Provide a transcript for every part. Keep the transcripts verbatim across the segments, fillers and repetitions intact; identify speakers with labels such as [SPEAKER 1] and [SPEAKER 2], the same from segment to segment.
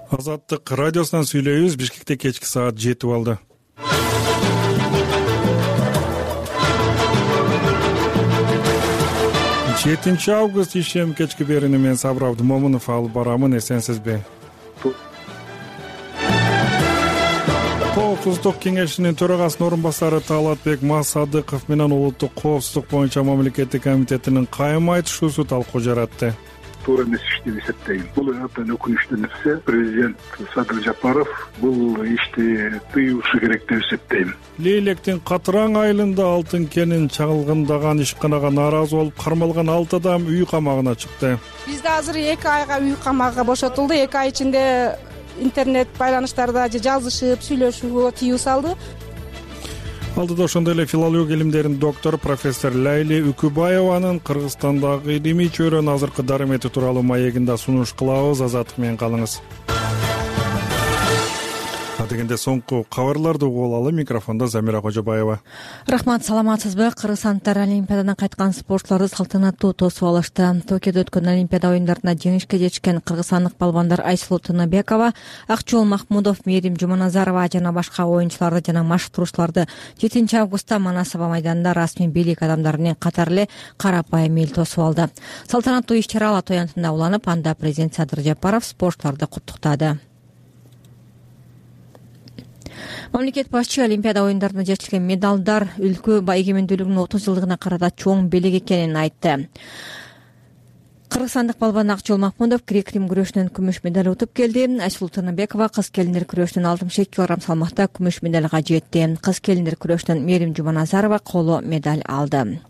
[SPEAKER 1] Азаттык радиосунан сүйлөйбүз. Бишкекте кечки саат жетип алды. жетинчи август ишем кечки берүүнү мен Сабыр Абдымомунов алып барамын. Эсенсизби? Коопсуздук кеңешинин төрагасынын орун басары Талатбек Масадыков менен улуттук коопсуздук боюнча мамлекеттик комитетинин кайым айтышуусу талкуу жаратты.
[SPEAKER 2] Туура эмес иш деп эсептейм. Бул абдан өкүнүчтүү нерсе. Президент Садыр Жапаров бул ишти тыюушу керек деп эсептейм.
[SPEAKER 1] Лейлектин Катыраң айылында алтын кенин чагылгындаган ишканага нааразы болуп кармалган алты адам үй камагына чыкты.
[SPEAKER 3] Бизде азыр эки айга үй камагы бошотулду. эки ай ичинде интернет байланыштарда же жазышып, сүйлөшүүгө тыюу салды.
[SPEAKER 1] Алдыда ошондой эле филология илимдеринин доктору профессор Лайли Үкүбаеванын Кыргызстандагы илимий чөйрөнүн азыркы дарымети тууралуу маегин да сунуш кылабыз. Азаттык менен калыңыз. Дегенде соңку кабарларды угуп алалы. Микрофондо Замира Кожобаева.
[SPEAKER 4] Рахмат, саламатсызбы? Кыргызстандыктар Олимпиададан кайткан спортчуларды салтанаттуу тосуп алышты. Токиодо өткөн Олимпиада оюндарында жеңишке жетишкен кыргызстандык балбандар Айсулуу Тыныбекова, Акчол Махмудов, Мээрим Жуманазарова жана башка оюнчуларды жана машыктыруучуларды жетинчи августта Манасаба майданында расмий бийлик адамдары менен катар эле карапайым эл тосуп алды. Салтанаттуу иш-чара Ала Тоянтында уланып, анда президент Садыр Жапаров спортчуларды куттуктады. Мамлекет башчы Олимпиада оюндарында жетишкен медалдар өлкө эгемендүүлүгүнүн отуз жылдыгына карата чоң белек экенин айтты. Кыргызстандык балбан Акчол Махмудов грек-рим күрөшүнөн күмүш медаль утуп келди. Айсулуу Тыныбекова кыз келиндер күрөшүнөн алтымыш эки килограмм салмакта күмүш медалга жетти. Кыз келиндер күрөшүнөн Мээрим Жуманазарова коло медаль алды.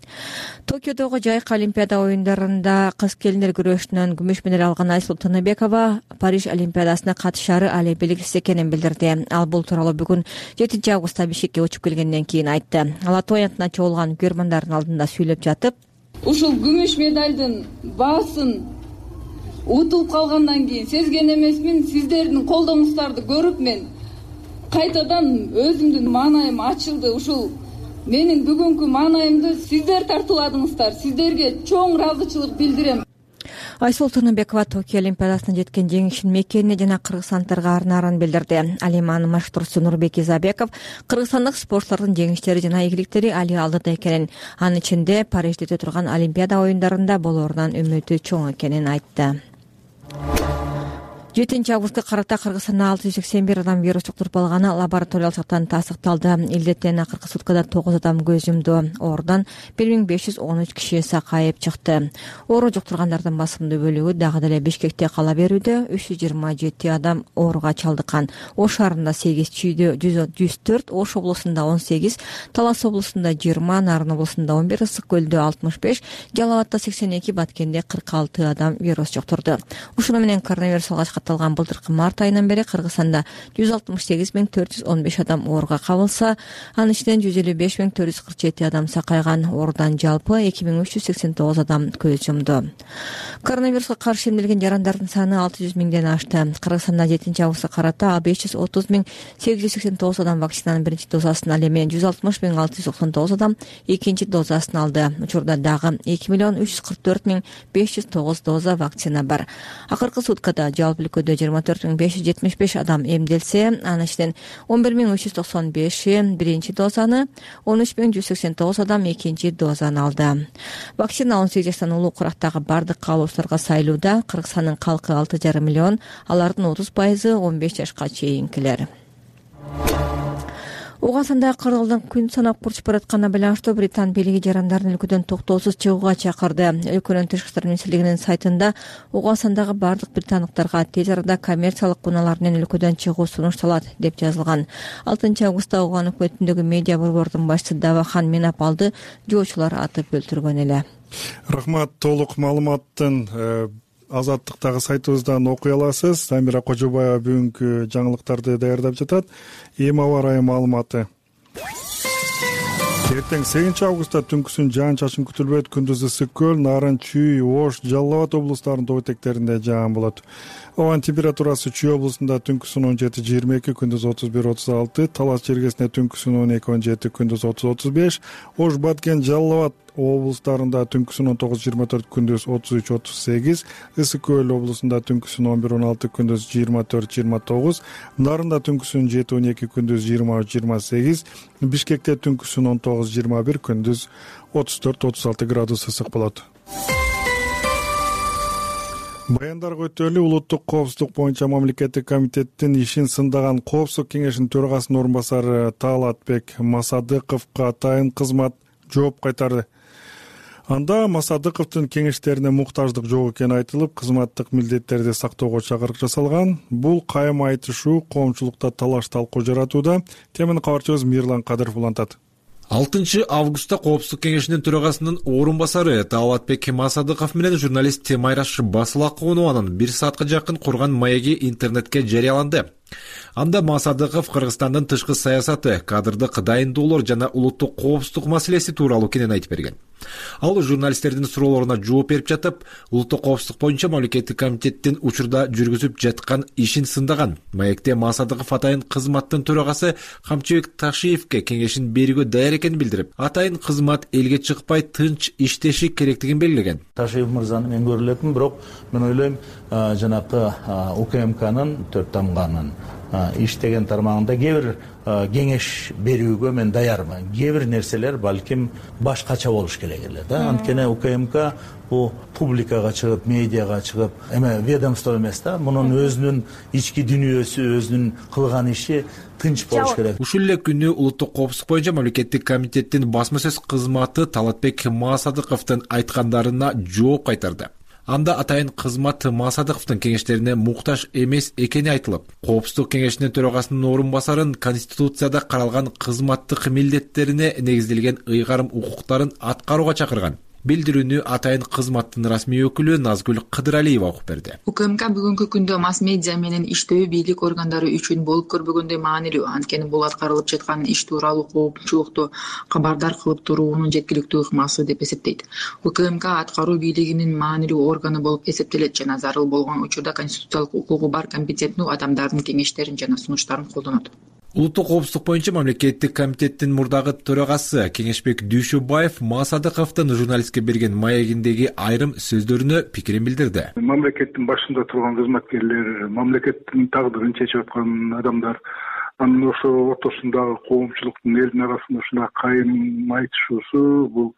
[SPEAKER 4] Токиодогу жайкы Олимпиада оюндарында кыз келиндер күрөшүнөн күмүш медаль алган Айсулуу Тыныбекова Париж Олимпиадасына катышаары али белгисиз экенин билдирди. Ал бул тууралуу бүгүн жетинчи августта Бишкекке учуп келгенден кийин айтты. Ала Тоянтына чогулган көрөрмандардын алдында сүйлөп жатып,
[SPEAKER 5] ушул күмүш медалдын баасын утулуп калгандан кийин сезген эмесмин. Сиздердин колдооңуздарды көрүп мен кайтадан өзүмдүн маанайым ачылды. Ушул менин бүгүнкү маанайымды сиздер тартууладыңыздар. Сиздерге чоң ыраазычылык билдирем.
[SPEAKER 4] Айсулуу Тыныбекова Токио Олимпиадасына жеткен жеңишин мекенине жана кыргызстандыктарга арнаарын билдирди. Ал эми анын машыктыруучусу Нурбек Изабеков кыргызстандык спортчулардын жеңиштери жана ийгиликтери али алдыда экенин, анын ичинде Парижде өтө турган Олимпиада оюндарында болоорунан үмүтү чоң экенин айтты. жетинчи августка карата Кыргызстанда алты жүз сексен бир адам вирус жуктуруп алганы лабораториялык жактан тастыкталды. Илдеттен акыркы суткада тогуз адам көз жумду. Оорудан бир миң беш жүз он үч киши сакайып чыкты. Оору жуктургандардын басымдуу бөлүгү дагы деле Бишкекте кала берүүдө. үч жүз жыйырма жети адам ооруга чалдыккан. Ош шаарында сегиз, Чүйдө жүз төрт, Ош облусунда он сегиз, Талас облусунда жыйырма, Нарын облусунда он бир, Ысык көлдө алтымыш беш, Жалал Абадта сексен эки, Баткенде кырк алты адам вирус жуктурду. Ушуну менен коронавирус алгач катталган былтыркы март айынан бери Кыргызстанда жүз алтымыш сегиз миң төрт жүз он беш адам ооруга кабылса, анын ичинен жүз элүү беш миң төрт жүз кырк жети адам сакайган. Оорудан жалпы эки миң үч жүз сексен тогуз адам көз жумду. Коронавируска каршы эмделген жарандардын саны алты жүз миңден ашты. Кыргызстанда жетинчи августка карата беш жүз отуз миң сегиз жүз сексен тогуз адам вакцинанын биринчи дозасын, ал эми жүз алтымыш миң алты жүз токсон тогуз адам экинчи дозасын алды. Учурда дагы эки миллион үч жүз кырк төрт миң беш жүз тогуз доза вакцина бар. Акыркы суткада жалпы өлкөдө жыйырма төрт миң беш жүз жетимиш беш адам эмделсе, анын ичинен он бир миң үч жүз токсон беши биринчи дозаны, он үч миң жүз сексен тогуз адам экинчи дозаны алды. Вакцина он сегиз жаштан улуу курактагы бардык каалоочуларга сайылууда. Кыргызстандын калкы алты жарым миллион, алардын отуз пайызы он беш жашка чейинкилер. Угандагы кыргыздын күн санап курчуп баратканына байланыштуу Британ бийлиги жарандардын өлкөдөн токтоосуз чыгууга чакырды. Өлкөнүн тышкы иштер министрлигинин сайтында Угандагы бардык британдыктарга тез арада коммерциялык унаалар менен өлкөдөн чыгуу сунушталат деп жазылган. алтынчы августта Уган өкмөтүндөгү медиа борбордун башчысы Давахан Менапалды жоочулар атып өлтүргөн эле.
[SPEAKER 1] Рахмат, толук маалыматтын Азаттыктагы сайтыбыздан окуй аласыз. Замира Кожобаева бүгүнкү жаңылыктарды даярдап жатат. Эми аба ырайы маалыматы. Эртең сегизинчи августта түнкүсүн жаан-чачын күтүлбөйт. Күндүз ысык көл, Нарын, Чүй, Ош, Жалал Абад облустарынын тоо этектеринде жаан болот. Абанын температурасы Чүй облусунда түнкүсүн он жети жыйырма эки, күндүз отуз бир отуз алты, Талас чергесинде түнкүсүн он эки он жети, күндүз отуз отуз беш, Ош, Баткен, Жалал Абад облустарында түнкүсүн он тогуз жыйырма төрт, күндүз отуз үч отуз сегиз, Ысык Көл облусунда түнкүсүн он бир он алты, күндүз жыйырма төрт жыйырма тогуз, Нарында түнкүсүн жети он эки, күндүз жыйырма үч жыйырма сегиз, Бишкекте түнкүсүн он тогуз жыйырма бир, күндүз отуз төрт отуз алты градус ысык болот. Баяндарга өтөлү улуттук коопсуздук боюнча мамлекеттик комитеттин ишин сындаган Коопсуздук кеңешинин төрагасынын орун басары Таалатбек Масадыковго атайын кызмат жооп кайтарды. Анда Масадыковдун кеңештерине муктаждык жок экени айтылып, кызматтык милдеттерди сактоого чакырык жасалган. Бул кайым айтышуу коомчулукта талаш талкуу жаратууда. Темени кабарчыбыз Мирлан Кадыров улантат.
[SPEAKER 6] алтынчы августта Коопсуздук кеңешинин төрагасынын орун басары Таалатбек Масадыков менен журналист Майраш Басылакованын бир саатка жакын курган маеги интернетке жарыяланды. Анда Масадыков Кыргызстандын тышкы саясаты, кадрдык дайындоолор жана улуттук коопсуздук маселеси тууралуу кенен айтып берген. Ал журналисттердин суроолоруна жооп берип жатып, улуттук коопсуздук боюнча мамлекеттик комитеттин учурда жүргүзүп жаткан ишин сындаган. Маекте Масадыков атайын кызматтын төрагасы Камчыбек Ташиевке кеңешин берүүгө даяр экенин билдирип, атайын кызмат элге чыкпай тынч иштеши керектигин белгилеген.
[SPEAKER 7] Ташиев мырзаны мен көрө элекмин, бирок мен ойлойм, жанакы УКМКнын төрт тамганын иштеген тармагында кээ бир кеңеш берүүгө мен даярмын. Кээ бир нерселер балким башкача болуш керек эле да. Анткени УКМК бул публикага чыгып, медиага чыгып, эме ведомство эмес да. Мунун өзүнүн ички дүйнөсү, өзүнүн кылган иши тынч болуш керек.
[SPEAKER 6] Ушул эле күнү улуттук коопсуздук боюнча мамлекеттик комитеттин басма сөз кызматы Таалатбек Масадыковдун айткандарына жооп кайтарды. Анда атайын кызмат Масадыковдун кеңештерине муктаж эмес экени айтылып, Коопсуздук кеңешинин төрагасынын орун басарын Конституцияда каралган кызматтык милдеттерине негизделген ыйгарым укуктарын аткарууга чакырган. Билдирүүнү атайын кызматтын расмий өкүлү Назгүл Кыдыралиева окуп берди.
[SPEAKER 8] УКМК бүгүнкү күндө масс медиа менен иштөө бийлик органдары үчүн болуп көрбөгөндөй маанилүү. Анткени бул аткарылып жаткан иш тууралуу коопчулукту кабардар кылып туруунун жеткиликтүү ыкмасы деп эсептейт. УКМК аткаруу бийлигинин маанилүү органы болуп эсептелет жана зарыл болгон учурда конституциялык укугу бар компетенттүү адамдардын кеңештерин жана сунуштарын колдонот.
[SPEAKER 6] Улуттук коопсуздук боюнча мамлекеттик комитеттин мурдагы төрагасы Кеңешбек Дүйшөбаев Масадыковдун журналистке берген маегиндеги айрым сөздөрүнө пикирин билдирди.
[SPEAKER 2] Мамлекеттин башында турган кызматкерлер, мамлекеттин тагдырын чечип аткан адамдар, анын ошо ортосундагы коомчулуктун элдин арасында ушундай кайым айтышуусу бул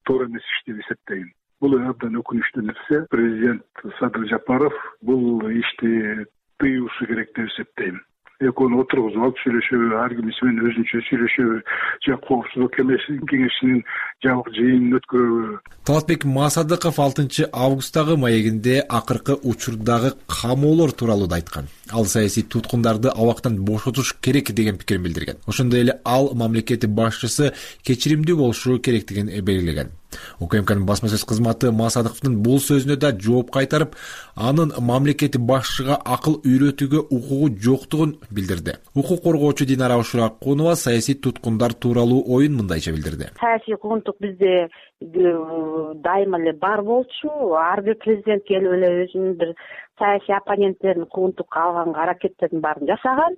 [SPEAKER 2] туура эмес иш деп эсептейм. Бул абдан өкүнүчтүү нерсе. Президент Садыр Жапаров бул ишти тыюушу керек деп эсептейм. Экөөнү отургузуп алып сүйлөшөбү, ар кимиси менен өзүнчө сүйлөшөбү, же коопсуздук кеңешинин жабык жыйынын өткөрөбү.
[SPEAKER 6] Таалатбек Масадыков алтынчы августтагы маегинде акыркы учурдагы камоолор тууралуу да айткан. Ал саясий туткундарды абактан бошотуш керек деген пикирин билдирген. Ошондой эле ал мамлекет башчысы кечиримдүү болушу керектигин белгилеген. УКМКнын басма сөз кызматы Масадыковдун бул сөзүнө да жооп кайтарып, анын мамлекет башчыга акыл үйрөтүүгө укугу жоктугун билдирди. Укук коргоочу Динара Ушуракунова саясий туткундар тууралуу оюн мындайча билдирди.
[SPEAKER 9] Саясий куугунтук бизде дайыма эле бар болчу. Ар бир президент келип эле өзүнүн бир саясий оппоненттерин куугунтукка алганга аракеттердин баарын жасаган.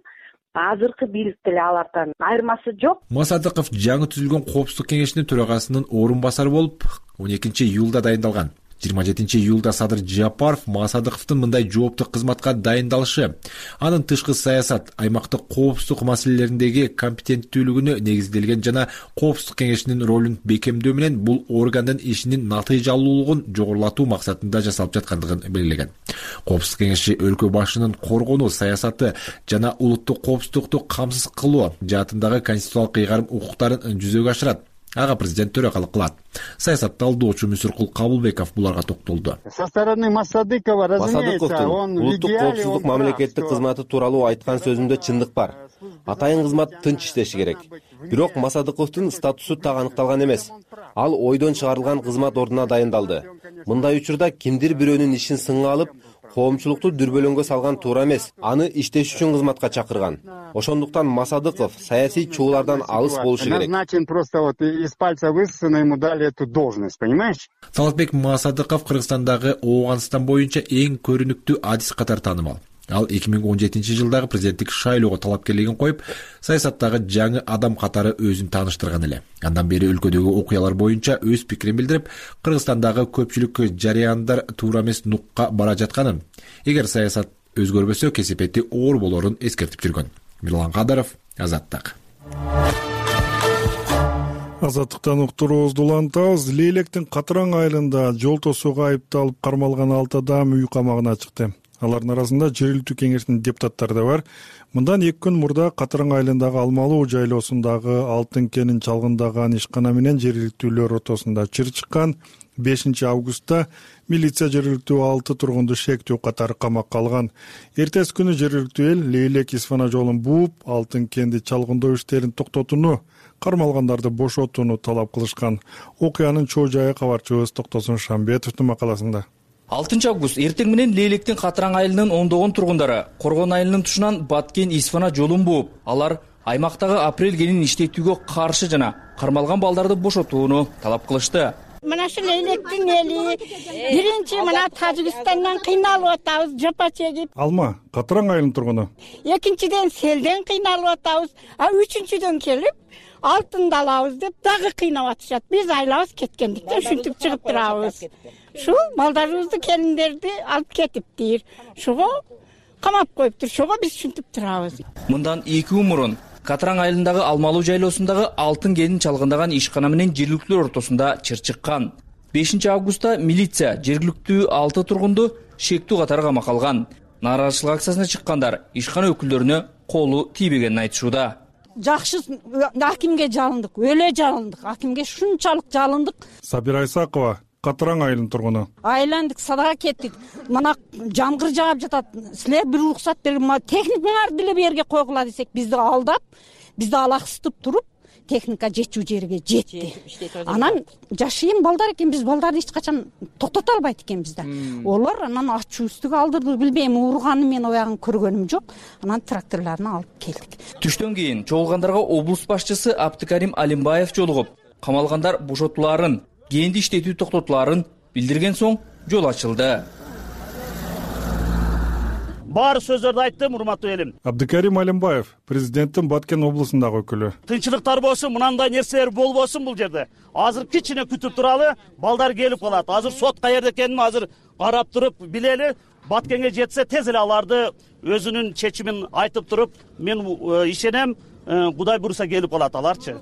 [SPEAKER 9] Азыркы бийликте эле алардан айырмасы жок.
[SPEAKER 6] Масадыков жаңы түзүлгөн коопсуздук кеңешинин төрагасынын орун басары болуп он экинчи июлда дайындалган. жыйырма жетинчи июлда Садыр Жапаров Масадыковдун мындай жооптуу кызматка дайындалышы, анын тышкы саясат, аймактык коопсуздук маселелериндеги компетенттүүлүгүнө негизделген жана коопсуздук кеңешинин ролун бекемдөө менен бул органдын ишинин натыйжалуулугун жогорулатуу максатында жасалып жаткандыгын белгилеген. Коопсуздук кеңеши өлкө башынын коргонуу саясаты жана улуттук коопсуздукту камсыз кылуу жаатындагы конституциялык ыйгарым укуктарын жүзөгө ашырат. Ага президент төрагалык кылат. Саясат талдоочу Мүсүркул Кабылбеков буларга токтолду.
[SPEAKER 10] Со стороны Масадыкова, разумеется, он
[SPEAKER 11] улуттук коопсуздук мамлекеттик кызматы тууралуу айткан сөзүндө чындык бар. Атайын кызмат тынч иштеши керек. Бирок Масадыковдун статусу так аныкталган эмес. Ал ойдон чыгарылган кызмат ордуна дайындалды. Мындай учурда кимдир бирөөнүн ишин сынга алып, коомчулукту дүрбөлөңгө салган туура эмес. Аны иштеш үчүн кызматка чакырган. Ошондуктан Масадыков саясий чуулардан алыс болушу керек.
[SPEAKER 10] Назначен просто вот из пальца высосано, ему дали эту должность, понимаешь?
[SPEAKER 6] Таалатбек Масадыков Кыргызстандагы Ооганстан боюнча эң көрүнүктүү адис катары таанымал. Ал эки миң он жетинчи жылдагы президенттик шайлоого талапкерлигин коюп, саясаттагы жаңы адам катары өзүн тааныштырган эле. Андан бери өлкөдөгү окуялар боюнча өз пикирин билдирип, Кыргызстандагы көпчүлүк жарыяндар туура эмес нукка бара жатканын, эгер саясат өзгөрбөсө кесепети оор болорун эскертип жүргөн. Мирлан Кадыров, Азаттык.
[SPEAKER 1] Азаттыктан уктуруубузду улантабыз. Лейлектин Катыраң айылында жол тосууга айыпталып кармалган алты адам үй камагына чыкты. Алардын арасында жергиликтүү кеңештин депутаттары да бар. Мындан эки күн мурда Катыраң айылындагы Алмалуу жайлоосундагы алтын кенин чалгындаган ишкана менен жергиликтүүлөр ортосунда чыр чыккан. бешинчи августта милиция жергиликтүү алты тургунду шектүү катары камакка алган. Эртеси күнү жергиликтүү эл Лейлек Исфана жолун бууп, алтын кенди чалгындоо иштерин токтотууну, кармалгандарды бошотууну талап кылышкан. Окуянын чоо жайы кабарчыбыз Токтосун Шамбетовдун макаласында.
[SPEAKER 12] алтынчы август эртең менен Лейлектин Катыраң айылынын ондогон тургундары Коргон айылынын тушунан Баткен Исфана жолун бууп, алар аймактагы апрель кенин иштетүүгө каршы жана кармалган балдарды бошотууну талап кылышты.
[SPEAKER 13] Мына ушу Лейлектин эли биринчи мына Тажикстандан кыйналып атабыз, жапа чегип.
[SPEAKER 1] Алма, Катыраң айылынын тургуну.
[SPEAKER 13] Экинчиден селден кыйналып атабыз, а үчүнчүдөн келип алтынды алабыз деп дагы кыйнап атышат. Биз айлабыз кеткендиктен ушинтип чыгып турабыз. Шу балдарыбызды, келиндерди алып кетиптир. Шуга камап коюптур. Шуга биз ушинтип турабыз.
[SPEAKER 12] Мындан эки күн мурун Катыраң айылындагы Алмалуу жайлоосундагы алтын кенин чалгындаган ишкана менен жергиликтүүлөр ортосунда чыр чыккан. бешинчи августта милиция жергиликтүү алты тургунду шектүү катары камакка алган. Нааразычылык акциясына чыккандар ишкана өкүлдөрүнө колу тийбегенин айтышууда.
[SPEAKER 3] Жакшы акимге жалындык, өлө жалындык. Акимге шунчалык жалындык.
[SPEAKER 1] Сабира Исакова, Катыраң айылынын тургуну.
[SPEAKER 3] Айландык, садага кеттик. Мына жамгыр жаап жатат. Силер бир уруксат берип, техникаңарды деле бу жерге койгула десек, бизди алдап, бизди алаксытып туруп, техника жетчү жерге жетти. Анан жашыйын балдар экен, биз балдарды эч качан токтото албайт экенбиз да. Олар анан ачуустук алдырды, билбейм, урганы мен оягын көргөнүм жок. Анан тракторлорун алып келдик.
[SPEAKER 12] Түштөн кийин чогулгандарга облус башчысы Абдыкарим Алимбаев жолугуп, камалгандар бошотулаарын, кенди иштетүү токтотулаарын билдирген соң жол ачылды.
[SPEAKER 14] Баары сөздөрдү айттым, урматтуу элим.
[SPEAKER 1] Абдыкарим Алимбаев, президенттин Баткен облусундагы өкүлү.
[SPEAKER 14] Тынччылыктар болсун, мынандай нерселер болбосун бул жерде. Азыр кичине күтүп туралы, балдар келип калат. Азыр сот каерде экенин азыр карап туруп билели. Баткенге жетсе тез эле аларды өзүнүн чечимин айтып туруп, мен ишенем, Кудай буйруса келип калат аларчы.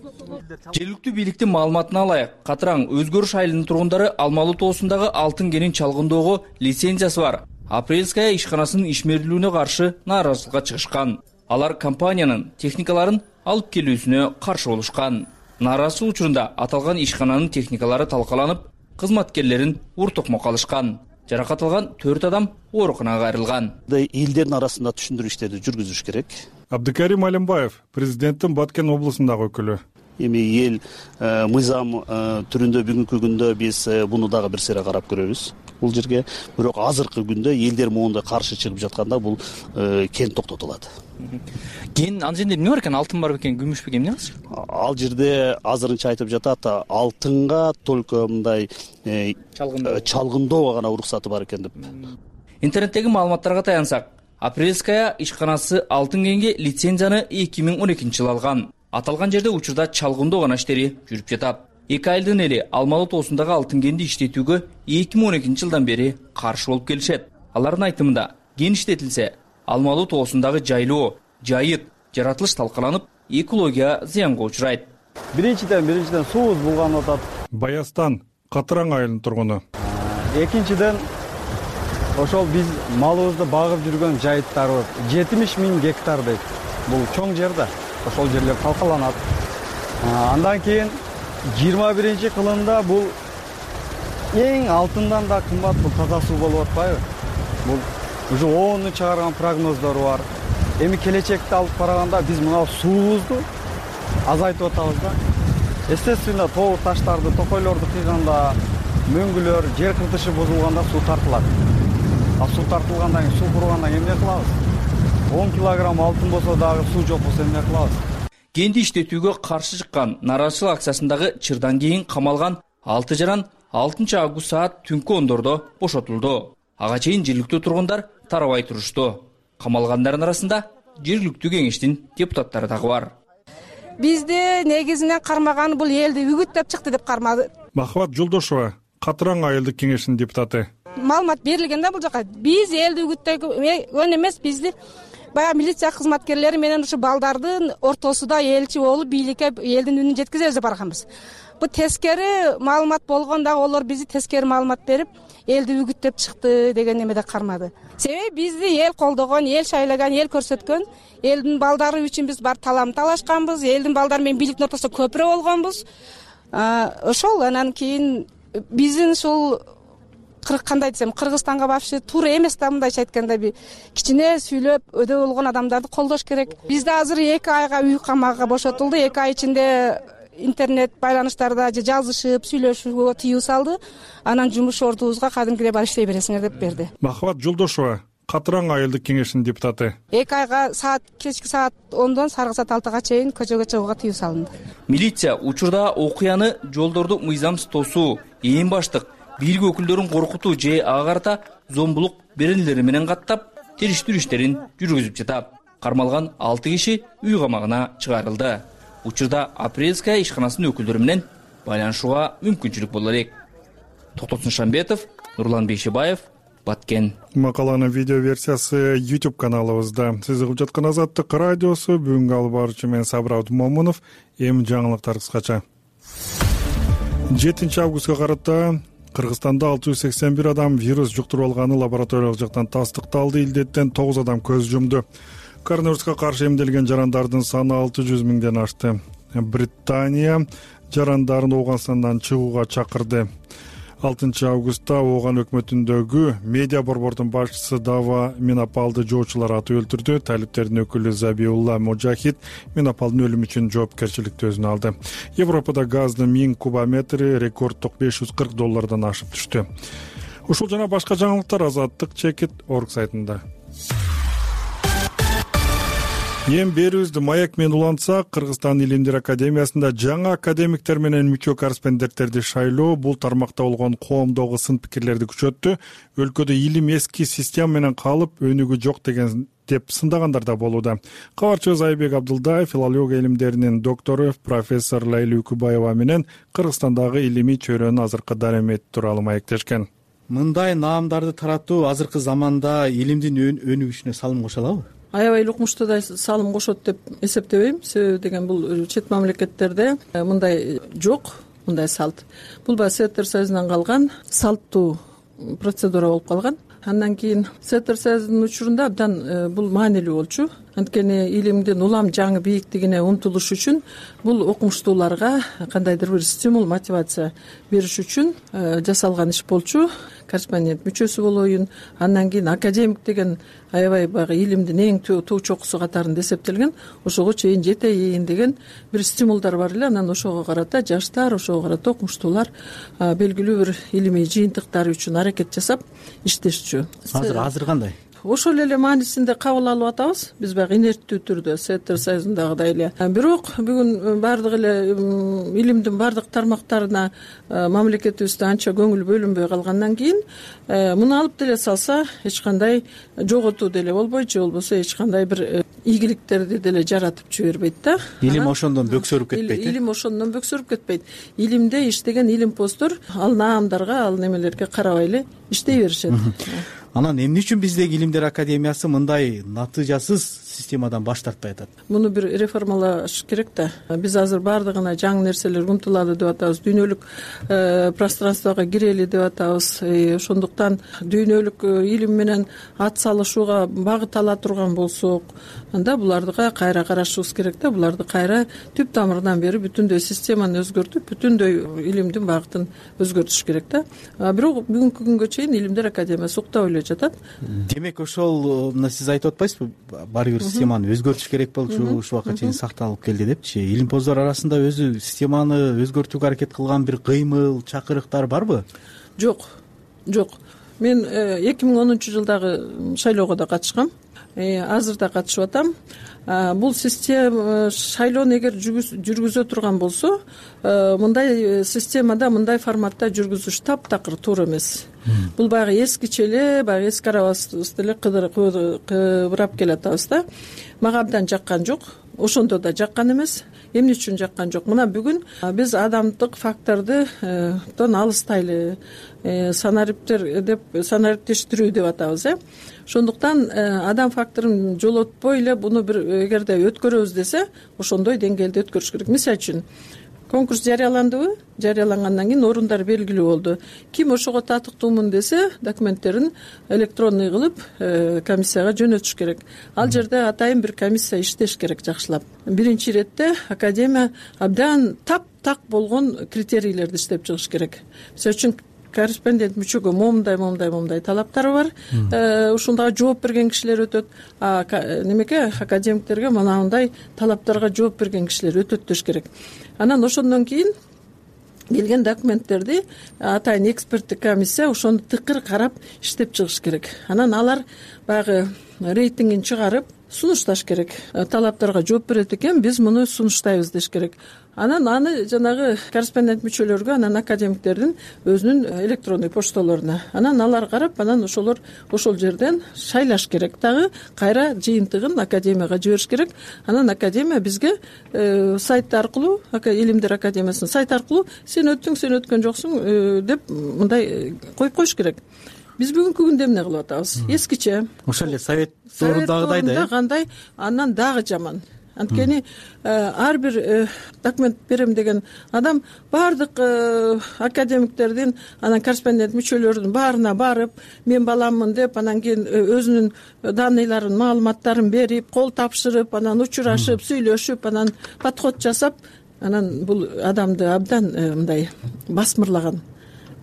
[SPEAKER 12] Жергиликтүү бийликтин маалыматына алайык, Катыраң Өзгөрүш айылынын тургундары Алмалуу тоосундагы алтын кенин чалгындоого лицензиясы бар Апрельская ишканасынын ишмердүүлүгүнө каршы нааразычылыкка чыгышкан. Алар компаниянын техникаларын алып келүүсүнө каршы болушкан. Нааразычылык учурунда аталган ишкананын техникалары талкаланып, кызматкерлерин ур-токмокко алышкан. Жаракат алган төрт адам ооруканага кайрылган.
[SPEAKER 14] Элдердин арасында түшүндүрүү иштерди жүргүзүш керек.
[SPEAKER 1] Абдыкарим Алимбаев, президенттин Баткен облусундагы өкүлү.
[SPEAKER 14] Эми эл мыйзам түрүндө бүгүнкү күндө биз буну дагы бир сере карап көрөбүз. Бул жерге бирок азыркы күндө элдер моундай каршы чыгып жатканда бул кен токтотулат.
[SPEAKER 12] Кен ал жерде эмне бар экен? Алтын бар бекен, күмүш бекен, эмне кылсак?
[SPEAKER 14] Ал жерде азырынча айтып жатат, алтынга только мындай чалгындоого гана уруксаты бар экен деп.
[SPEAKER 12] Интернеттеги маалыматтарга таянсак, Апрельская ишканасы алтын кенге лицензияны эки миң он экинчи жылы алган. Аталган жерде учурда чалгындоо гана иштери жүрүп жатат. Эки айылдын эли Алмалуу тоосундагы алтын кенди иштетүүгө эки миң он экинчи жылдан бери каршы болуп келишет. Алардын айтымында, кен иштетилсе, Алмалуу тоосундагы жайлоо, жайыт, жаратылыш талкаланып, экология зыянга учурайт.
[SPEAKER 10] Биринчиден, биринчиден суубуз булганып атат.
[SPEAKER 1] Баястан, Катыраң айылынын тургуну.
[SPEAKER 10] Экинчиден, ошол биз малыбызды багып жүргөн жайыттарыбыз жетимиш миң гектар дейт. Бул чоң жер да, ошол жерлер талкаланат. Андан кийин жыйырма биринчи кылымда бул эң алтындан да кымбат бул таза суу болуп атпайбы? Бул уже оону чыгарган прогноздору бар. Эми келечекте алып караганда биз мына суубузду азайтып атабыз да. Естественно, тоо таштарды, токойлорду кыйганда, мөңгүлөр, жер кыртышы бузулганда суу тартылат. А суу тартылгандан кийин, суу кургандан кийин эмне кылабыз? он килограмм алтын болсо дагы суу жок болсо эмне кылабыз?
[SPEAKER 12] Кенди иштетүүгө каршы чыккан нааразычылык акциясындагы чырдан кийин камалган алты жаран алтынчы август саат түнкү ондордо бошотулду. Ага чейин жергиликтүү тургундар тарабай турушту. Камалгандардын арасында жергиликтүү кеңештин депутаттары дагы бар.
[SPEAKER 15] Бизди негизинен кармаган бул элди үгүттөп чыкты деп кармады.
[SPEAKER 1] Махабат Жолдошова, Катыран айылдык кеңешинин депутаты.
[SPEAKER 15] Маалымат берилген да бул жака. Биз элди үгүттөгөн эмес, бизди баягы милиция кызматкерлери менен ушу балдардын ортосунда элчи болуп бийликке элдин үнүн жеткизебиз деп барганбыз. Бу тескери маалымат болгон дагы олор бизди тескери маалымат берип, элди үгүттөп чыкты деген эмеде кармады. Себеби бизди эл колдогон, эл шайлаган, эл көрсөткөн, элдин балдары үчүн биз бар талам талашканбыз, элдин балдары менен бийликтин ортосунда көпүрө болгонбуз. Ошол анан кийин биздин ушул кандай десем, Кыргызстанга вообще туура эмес да, мындайча айтканда бир кичине сүйлөп өдө болгон адамдарды колдош керек. Бизде азыр эки айга үй камагга бошотулду. эки ай ичинде интернет байланыштарда же жазышып, сүйлөшүүгө тыюу салды. Анан жумуш ордубузга кадимкидей бар иштей бересиңер деп берди.
[SPEAKER 1] Махабат Жолдошова, Катыран айылдык кеңешинин депутаты.
[SPEAKER 15] эки айга саат кечки саат ондон саргы саат алтыга чейин көчөгө чыгууга тыюу салынды.
[SPEAKER 12] Милиция учурда окуяны жолдорду мыйзамсыз тосуу, эң баштык бийлик өкүлдөрүн коркутуу же ага карата зомбулук беренелери менен каттап, териштирүү иштерин жүргүзүп жатат. Кармалган алты киши үй камагына чыгарылды. Учурда Апрельская ишканасынын өкүлдөрү менен байланышууга мүмкүнчүлүк боло элек. Токтосун Шамбетов, Нурлан Бейшебаев, Баткен.
[SPEAKER 1] Макаланын видео версиясы YouTube каналыбызда. Сиз угуп жаткан Азаттык радиосу. Бүгүнкү алып баруучу мен Сабыр Абдумомунов. Эми жаңылыктар кыскача. жетинчи августка карата Кыргызстанда алты жүз сексен бир адам вирус жуктуруп алганы лабораториялык жактан тастыкталды. Илдеттен тогуз адам көз жумду. Коронавируска каршы эмделген жарандардын саны алты жүз миңден ашты. Британия жарандарын Ооганстандан чыгууга чакырды. алтынчы августта Ооган өкмөтүндөгү медиа борбордун башчысы Дава Минапалды жоочулар атып өлтүрдү. Талиптердин өкүлү Забиулла Мужахид Минапалдын өлүмү үчүн жоопкерчиликти өзүнө алды. Европада газдын миң кубометри рекорддук беш жүз кырк доллардан ашып түштү. Ушул жана башка жаңылыктар Азаттык чекит орг сайтында. Эң берүүбүздү маек менен улантсак, Кыргызстан Илимдер академиясында жаңы академиктер менен мүчө корреспонденттерди шайлоо бул тармакта болгон коомдогу сын пикирлерди күчөттү. Өлкөдө илим эски система менен калып, өнүгүү жок деген деп сындагандар да болууда. Кабарчыбыз Айбек Абдылдаев филология илимдеринин доктору профессор Лайли Үкүбаева менен Кыргызстандагы илимий чөйрөнүн азыркы дарамети тууралуу маектешкен.
[SPEAKER 16] Мындай наамдарды таратуу азыркы заманда илимдин өнүгүшүнө салым кошо алабы?
[SPEAKER 17] Аябай укмуштуудай салым кошот деп эсептебейм. Себеби деген бул чет мамлекеттерде мындай жок, мындай салт. Бул баягы Советтер Союзунан калган салттуу процедура болуп калган. Андан кийин Советтер Союзунун учурунда абдан бул маанилүү болчу. Анткени илимдин улам жаңы бийиктигине умтулуш үчүн бул окумуштууларга кандайдыр бир стимул, мотивация бериш үчүн жасалган иш болчу. Корреспондент мүчөсү болоюн. Андан кийин академик деген аябай баягы илимдин эң туу чокусу катарында эсептелген. Ошого чейин жетейин деген бир стимулдар бар эле. Анан ошого карата жаштар, ошого карата окумуштуулар белгилүү бир илимий жыйынтыктар үчүн аракет жасап иштешчү.
[SPEAKER 16] Азыр азыр кандай?
[SPEAKER 17] Ошол эле маанисинде кабыл алып атабыз. Биз баягы инерттүү түрдө Советтер Союзундагыдай эле. Бирок бүгүн бардык эле илимдин бардык тармактарына мамлекетибизде анча көңүл бөлүнбөй калгандан кийин муну алып деле салса эч кандай жоготуу деле болбойт, же болбосо эч кандай бир ийгиликтерди деле жаратып жибербейт да.
[SPEAKER 16] Илим ошондон бөксөрүп кетпейт.
[SPEAKER 17] Илим ошондон бөксөрүп кетпейт. Илимде иштеген илимпоздор ал наамдарга, ал немелерге карабай эле иштей беришет.
[SPEAKER 16] Анан эмне үчүн биздеги Илимдер академиясы мындай натыйжасыз системадан баш тартпай атат?
[SPEAKER 17] Муну бир реформалаш керек да. Биз азыр бардыгына жаңы нерселерге умтулалы деп атабыз. Дүйнөлүк пространствого кирели деп атабыз. Ошондуктан дүйнөлүк илим менен ат салышууга багыт ала турган болсок, анда буларга кайра карашыбыз керек да. Буларды кайра түп тамырынан бери бүтүндөй системаны өзгөртүп, бүтүндөй илимдин багытын өзгөртүш керек да. Бирок бүгүнкү күнгө чейин Илимдер академиясы уктап эле жатат.
[SPEAKER 16] Демек ошол мына сиз айтып атпайсызбы? Баары бир системаны өзгөртүш керек болчу, ушул убакка чейин сакталып келди депчи. Илимпоздор арасында өзү системаны өзгөртүүгө аракет кылган бир кыймыл, чакырыктар барбы?
[SPEAKER 17] Жок. Жок. мен эки миң онунчу жылдагы шайлоого да катышкам, азыр да катышып атам. Бул система шайлоону эгер жүргүзө турган болсо, мындай системада, мындай форматта жүргүзүш таптакыр туура эмес. Бул баягы эскиче эле, баягы эски арабызды эле кыбырап келатабыз да. Мага абдан жаккан жок. Ошондо да жаккан эмес. Эмне үчүн жаккан жок? Мына бүгүн биз адамдык фактордун алыстайлы, санариптер деп санариптештирүү деп атабыз, э. Ошондуктан адам факторун жолотпой эле буну бир эгерде өткөрөбүз десе, ошондой деңгээлде өткөрүш керек. Мисалы үчүн конкурс жарыяландыбы? Жарыялангандан кийин орундар белгилүү болду. Ким ошого татыктуумун десе, документтерин электронный кылып комиссияга жөнөтүш керек. Ал жерде атайын бир комиссия иштеш керек жакшылап. Биринчи иретте академия абдан таптак болгон критерийлерди иштеп чыгыш керек. Мисалы үчүн корреспондент мүчөгө момундай момундай момундай талаптары бар. Ушундага жооп берген кишилер өтөт. А немеге академиктерге мынандай талаптарга жооп берген кишилер өтөт деш керек. Анан ошондон кийин келген документтерди атайын эксперттик комиссия ошону тыкыр карап иштеп чыгыш керек. Анан алар баягы рейтингин чыгарып сунушташ керек. Талаптарга жооп берет экен, биз муну сунуштайбыз деш керек. Анан аны жанагы корреспондент мүчөлөргө, анан академиктердин өзүнүн электронный почталарына. Анан алар карап, анан ошолор ошол жерден шайлаш керек. Дагы кайра жыйынтыгын академияга жибериш керек. Анан академия бизге сайт аркылуу, Илимдер академиясынын сайт аркылуу сен өттүң, сен өткөн жоксуң деп мындай коюп коюш керек. Биз бүгүнкү күндө эмне кылып атабыз? Эскиче.
[SPEAKER 16] Ошол эле совет дорудагыдай да.
[SPEAKER 17] Кандай, андан дагы жаман. Анткени ар бир документ берем деген адам баардык академиктердин, анан корреспондент мүчөлөрүнүн баарына барып, мен баламмын деп, анан кийин өзүнүн данныйларын, маалыматтарын берип, кол тапшырып, анан учурашып, сүйлөшүп, анан подход жасап, анан бул адамды абдан мындай басмырлаган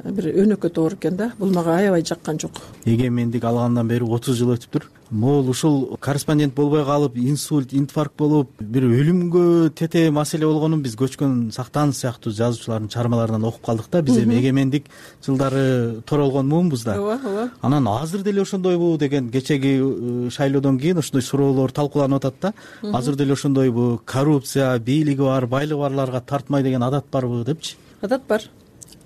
[SPEAKER 17] бир өнөкөт оор экен да. Бул мага аябай жаккан жок.
[SPEAKER 16] Эгемендик алгандан бери отуз жыл өтүптүр. Могул ушул корреспондент болбой калып, инсульт, инфаркт болуп, бир өлүмгө тете маселе болгонун биз көчкөн Сактанов сыяктуу жазуучулардын чыгармаларынан окуп калдык да. Биз эми эгемендик жылдары торолгон муунбуз да.
[SPEAKER 17] Ооба, ооба.
[SPEAKER 16] Анан азыр деле ошондойбу деген кечеги шайлоодон кийин ошондой суроолор талкууланып атат да. Азыр деле ошондойбу коррупция, бийлиги бар, байлыгы барларга тартмай деген адат барбы депчи?
[SPEAKER 17] Адат бар.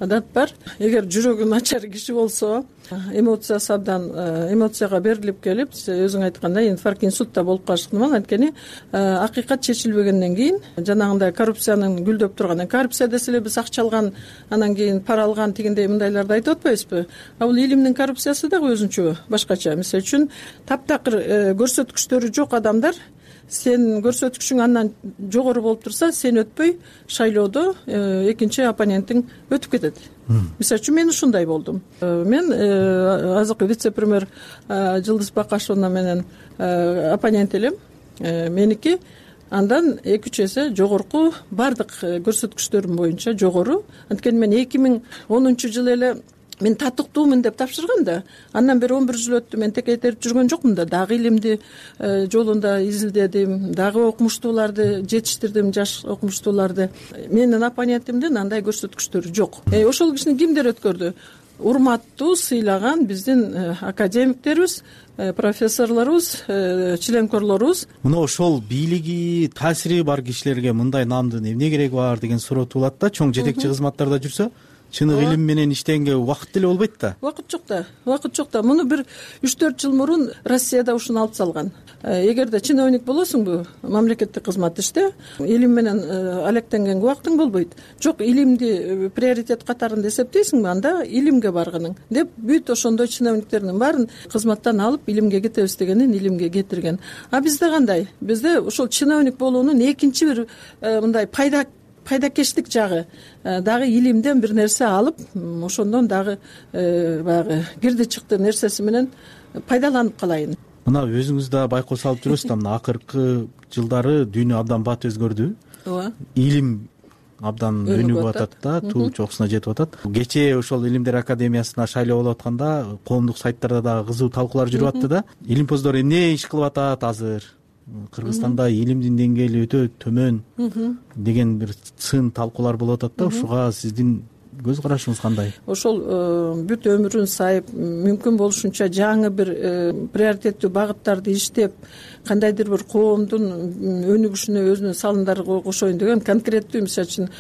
[SPEAKER 17] Адат бар. Эгер жүрөгү начар киши болсо, эмоциясы абдан эмоцияга берилип келип, өзүң айткандай инфаркт, инсульт да болуп калышы ыктымал. Анткени акыйкат чечилбегенден кийин жанагындай коррупциянын гүлдөп турган, коррупция десе эле биз акча алган, анан кийин пара алган тигиндей мындайларды айтып атпайбызбы? А бул илимдин коррупциясы дагы өзүнчө башкача. Мисалы үчүн таптакыр көрсөткүчтөрү жок адамдар, сен көрсөткүчүң андан жогору болуп турса, сен өтпөй шайлоодо экинчи оппонентиң өтүп кетет. Мисалы үчүн мен ушундай болдум. Мен азыркы вице-премьер Жылдыз Бакашевна менен оппонент элем. Меники андан эки үч эсе жогорку, бардык көрсөткүчтөрүм боюнча жогору. Анткени мен эки миң онунчу жылы эле мен татыктуумун деп тапшыргам да. Андан бери он бир жыл өттү, мен текейтерип жүргөн жокмун да. Дагы илимди жолунда изилдедим, дагы окумуштууларды жетиштирдим, жаш окумуштууларды. Менин оппонентимдин андай көрсөткүчтөрү жок. Ошол кишини кимдер өткөрдү? Урматтуу, сыйлаган биздин академиктерибиз, профессорлорубуз, членкорлорубуз.
[SPEAKER 16] Мына ошол бийлиги, таасири бар кишилерге мындай наамдын эмне кереги бар деген суроо туулат да. Чоң жетекчи кызматтарда жүрсө, чыныгы илим менен иштегенге убакыт деле болбойт да.
[SPEAKER 17] Убакыт жок да. Убакыт жок да. Муну бир үч төрт жыл мурун Россияда ушуну алып салган. Эгерде чиновник болосуңбу, мамлекеттик кызмат иште, илим менен алектенгенге убактың болбойт. Жок, илимди приоритет катарында эсептейсиңби, анда илимге баргының деп бүт ошондой чиновниктердин баарын кызматтан алып илимге кетебиз дегенин илимге кетирген. А бизде кандай? Бизде ошол чиновник болуунун экинчи бир мындай пайда пайдакештик жагы дагы илимден бир нерсе алып, ошондон дагы баягы кирди чыкты нерсеси менен пайдаланып калайын.
[SPEAKER 16] Мына өзүңүз да байкоо салып жүрөсүз да, мына акыркы жылдары дүйнө абдан бат өзгөрдү.
[SPEAKER 17] Ооба.
[SPEAKER 16] Илим абдан өнүгүп атат да, туу чокусуна жетип атат. Кечээ ошол Илимдер академиясына шайлоо болуп атканда коомдук сайттарда дагы кызуу талкуулар жүрүп атты да. Илимпоздор эмне иш кылып атат азыр? Кыргызстанда илимдин деңгээли өтө төмөн деген бир сын талкуулар болуп атат да. Ушуга сиздин көз карашыңыз кандай?
[SPEAKER 17] Ошол бүт өмүрүн сайып мүмкүн болушунча жаңы бир приоритеттүү багыттарды иштеп, кандайдыр бир коомдун өнүгүшүнө өзүнүн салымдары кошоюн деген конкреттүү, мисалы үчүн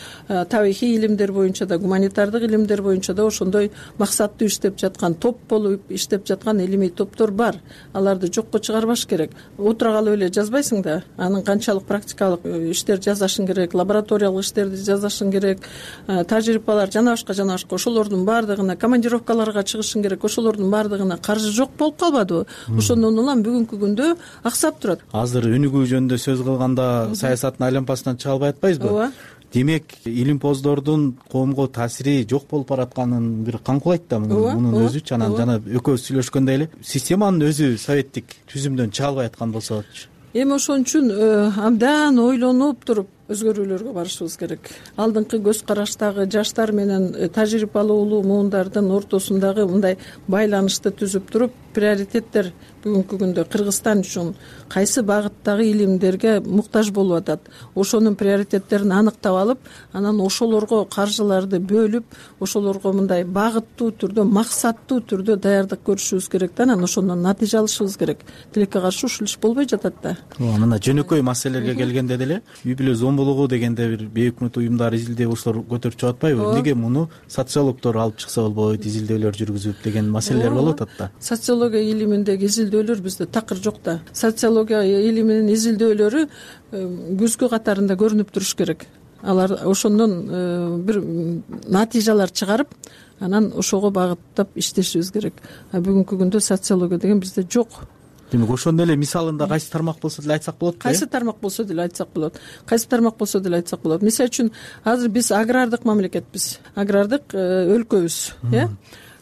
[SPEAKER 17] табигый илимдер боюнча да, гуманитардык илимдер боюнча да ошондой максаттуу иштеп жаткан, топ болуп иштеп жаткан илимий топтор бар. Аларды жокко чыгарбаш керек. Отура калып эле жазбайсың да, анын канчалык практикалык иштер жасашың керек, лабораториялык иштерди жасашың керек, тажрыйбалар жана башка жана башка. Ошолордун баардыгына, командировкаларга чыгышың керек. Ошолордун баардыгына каржы жок болуп калбадыбы? Ошондон улам бүгүнкү күндө аксап турат.
[SPEAKER 16] Азыр өнүгүү жөнүндө сөз кылганда саясаттын айлампасынан чыга албай атпайбызбы?
[SPEAKER 17] Ооба.
[SPEAKER 16] Демек, илимпоздордун коомго таасири жок болуп баратканын бир каңкулайт да мунун өзүчү. Анан жана экөөбүз сүйлөшкөндөй эле системанын өзү советтик түзүмдөн чыга албай аткан болсочу.
[SPEAKER 17] Эми ошон үчүн абдан ойлонуп туруп өзгөрүүлөргө барышыбыз керек. Алдыңкы көз караштагы жаштар менен тажрыйбалуулуу муундардын ортосундагы мындай байланышты түзүп туруп, приоритеттер бүгүнкү күндө Кыргызстан үчүн кайсы багыттагы илимдерге муктаж болуп атат, ошонун приоритеттерин аныктап алып, анан ошолорго каржыларды бөлүп, ошолорго мындай багыттуу түрдө, максаттуу түрдө даярдык көрүшүбүз керек да, анан ошондон натыйжа алышыбыз керек. Тилекке каршы ушул иш болбой жатат да.
[SPEAKER 16] Мына жөнөкөй маселелерге келгенде деле үй бүлө зомбулугу дегенде бир бейөкмөт уюмдар изилдөө ошолор көтөрүп чыгып атпайбы? Неге муну социологдор алып чыкса болбойт, изилдөөлөр жүргүзүп деген маселелер болуп атат да.
[SPEAKER 17] Социология илиминдеги изилдөөлөр бизде такыр жок да. Социология илиминин изилдөөлөрү күзгү катарында көрүнүп туруш керек. Алар ошондон бир натыйжалар чыгарып, анан ошого багыттап иштешибиз керек. А бүгүнкү күндө социология деген бизде жок.
[SPEAKER 16] Демек, ошондой эле мисалында кайсы тармак болсо деле айтсак болот.
[SPEAKER 17] Кайсы тармак болсо деле айтсак болот. Кайсы тармак болсо деле айтсак болот. Мисалы үчүн, азыр биз агрардык мамлекетпиз. Агрардык өлкөбүз, э?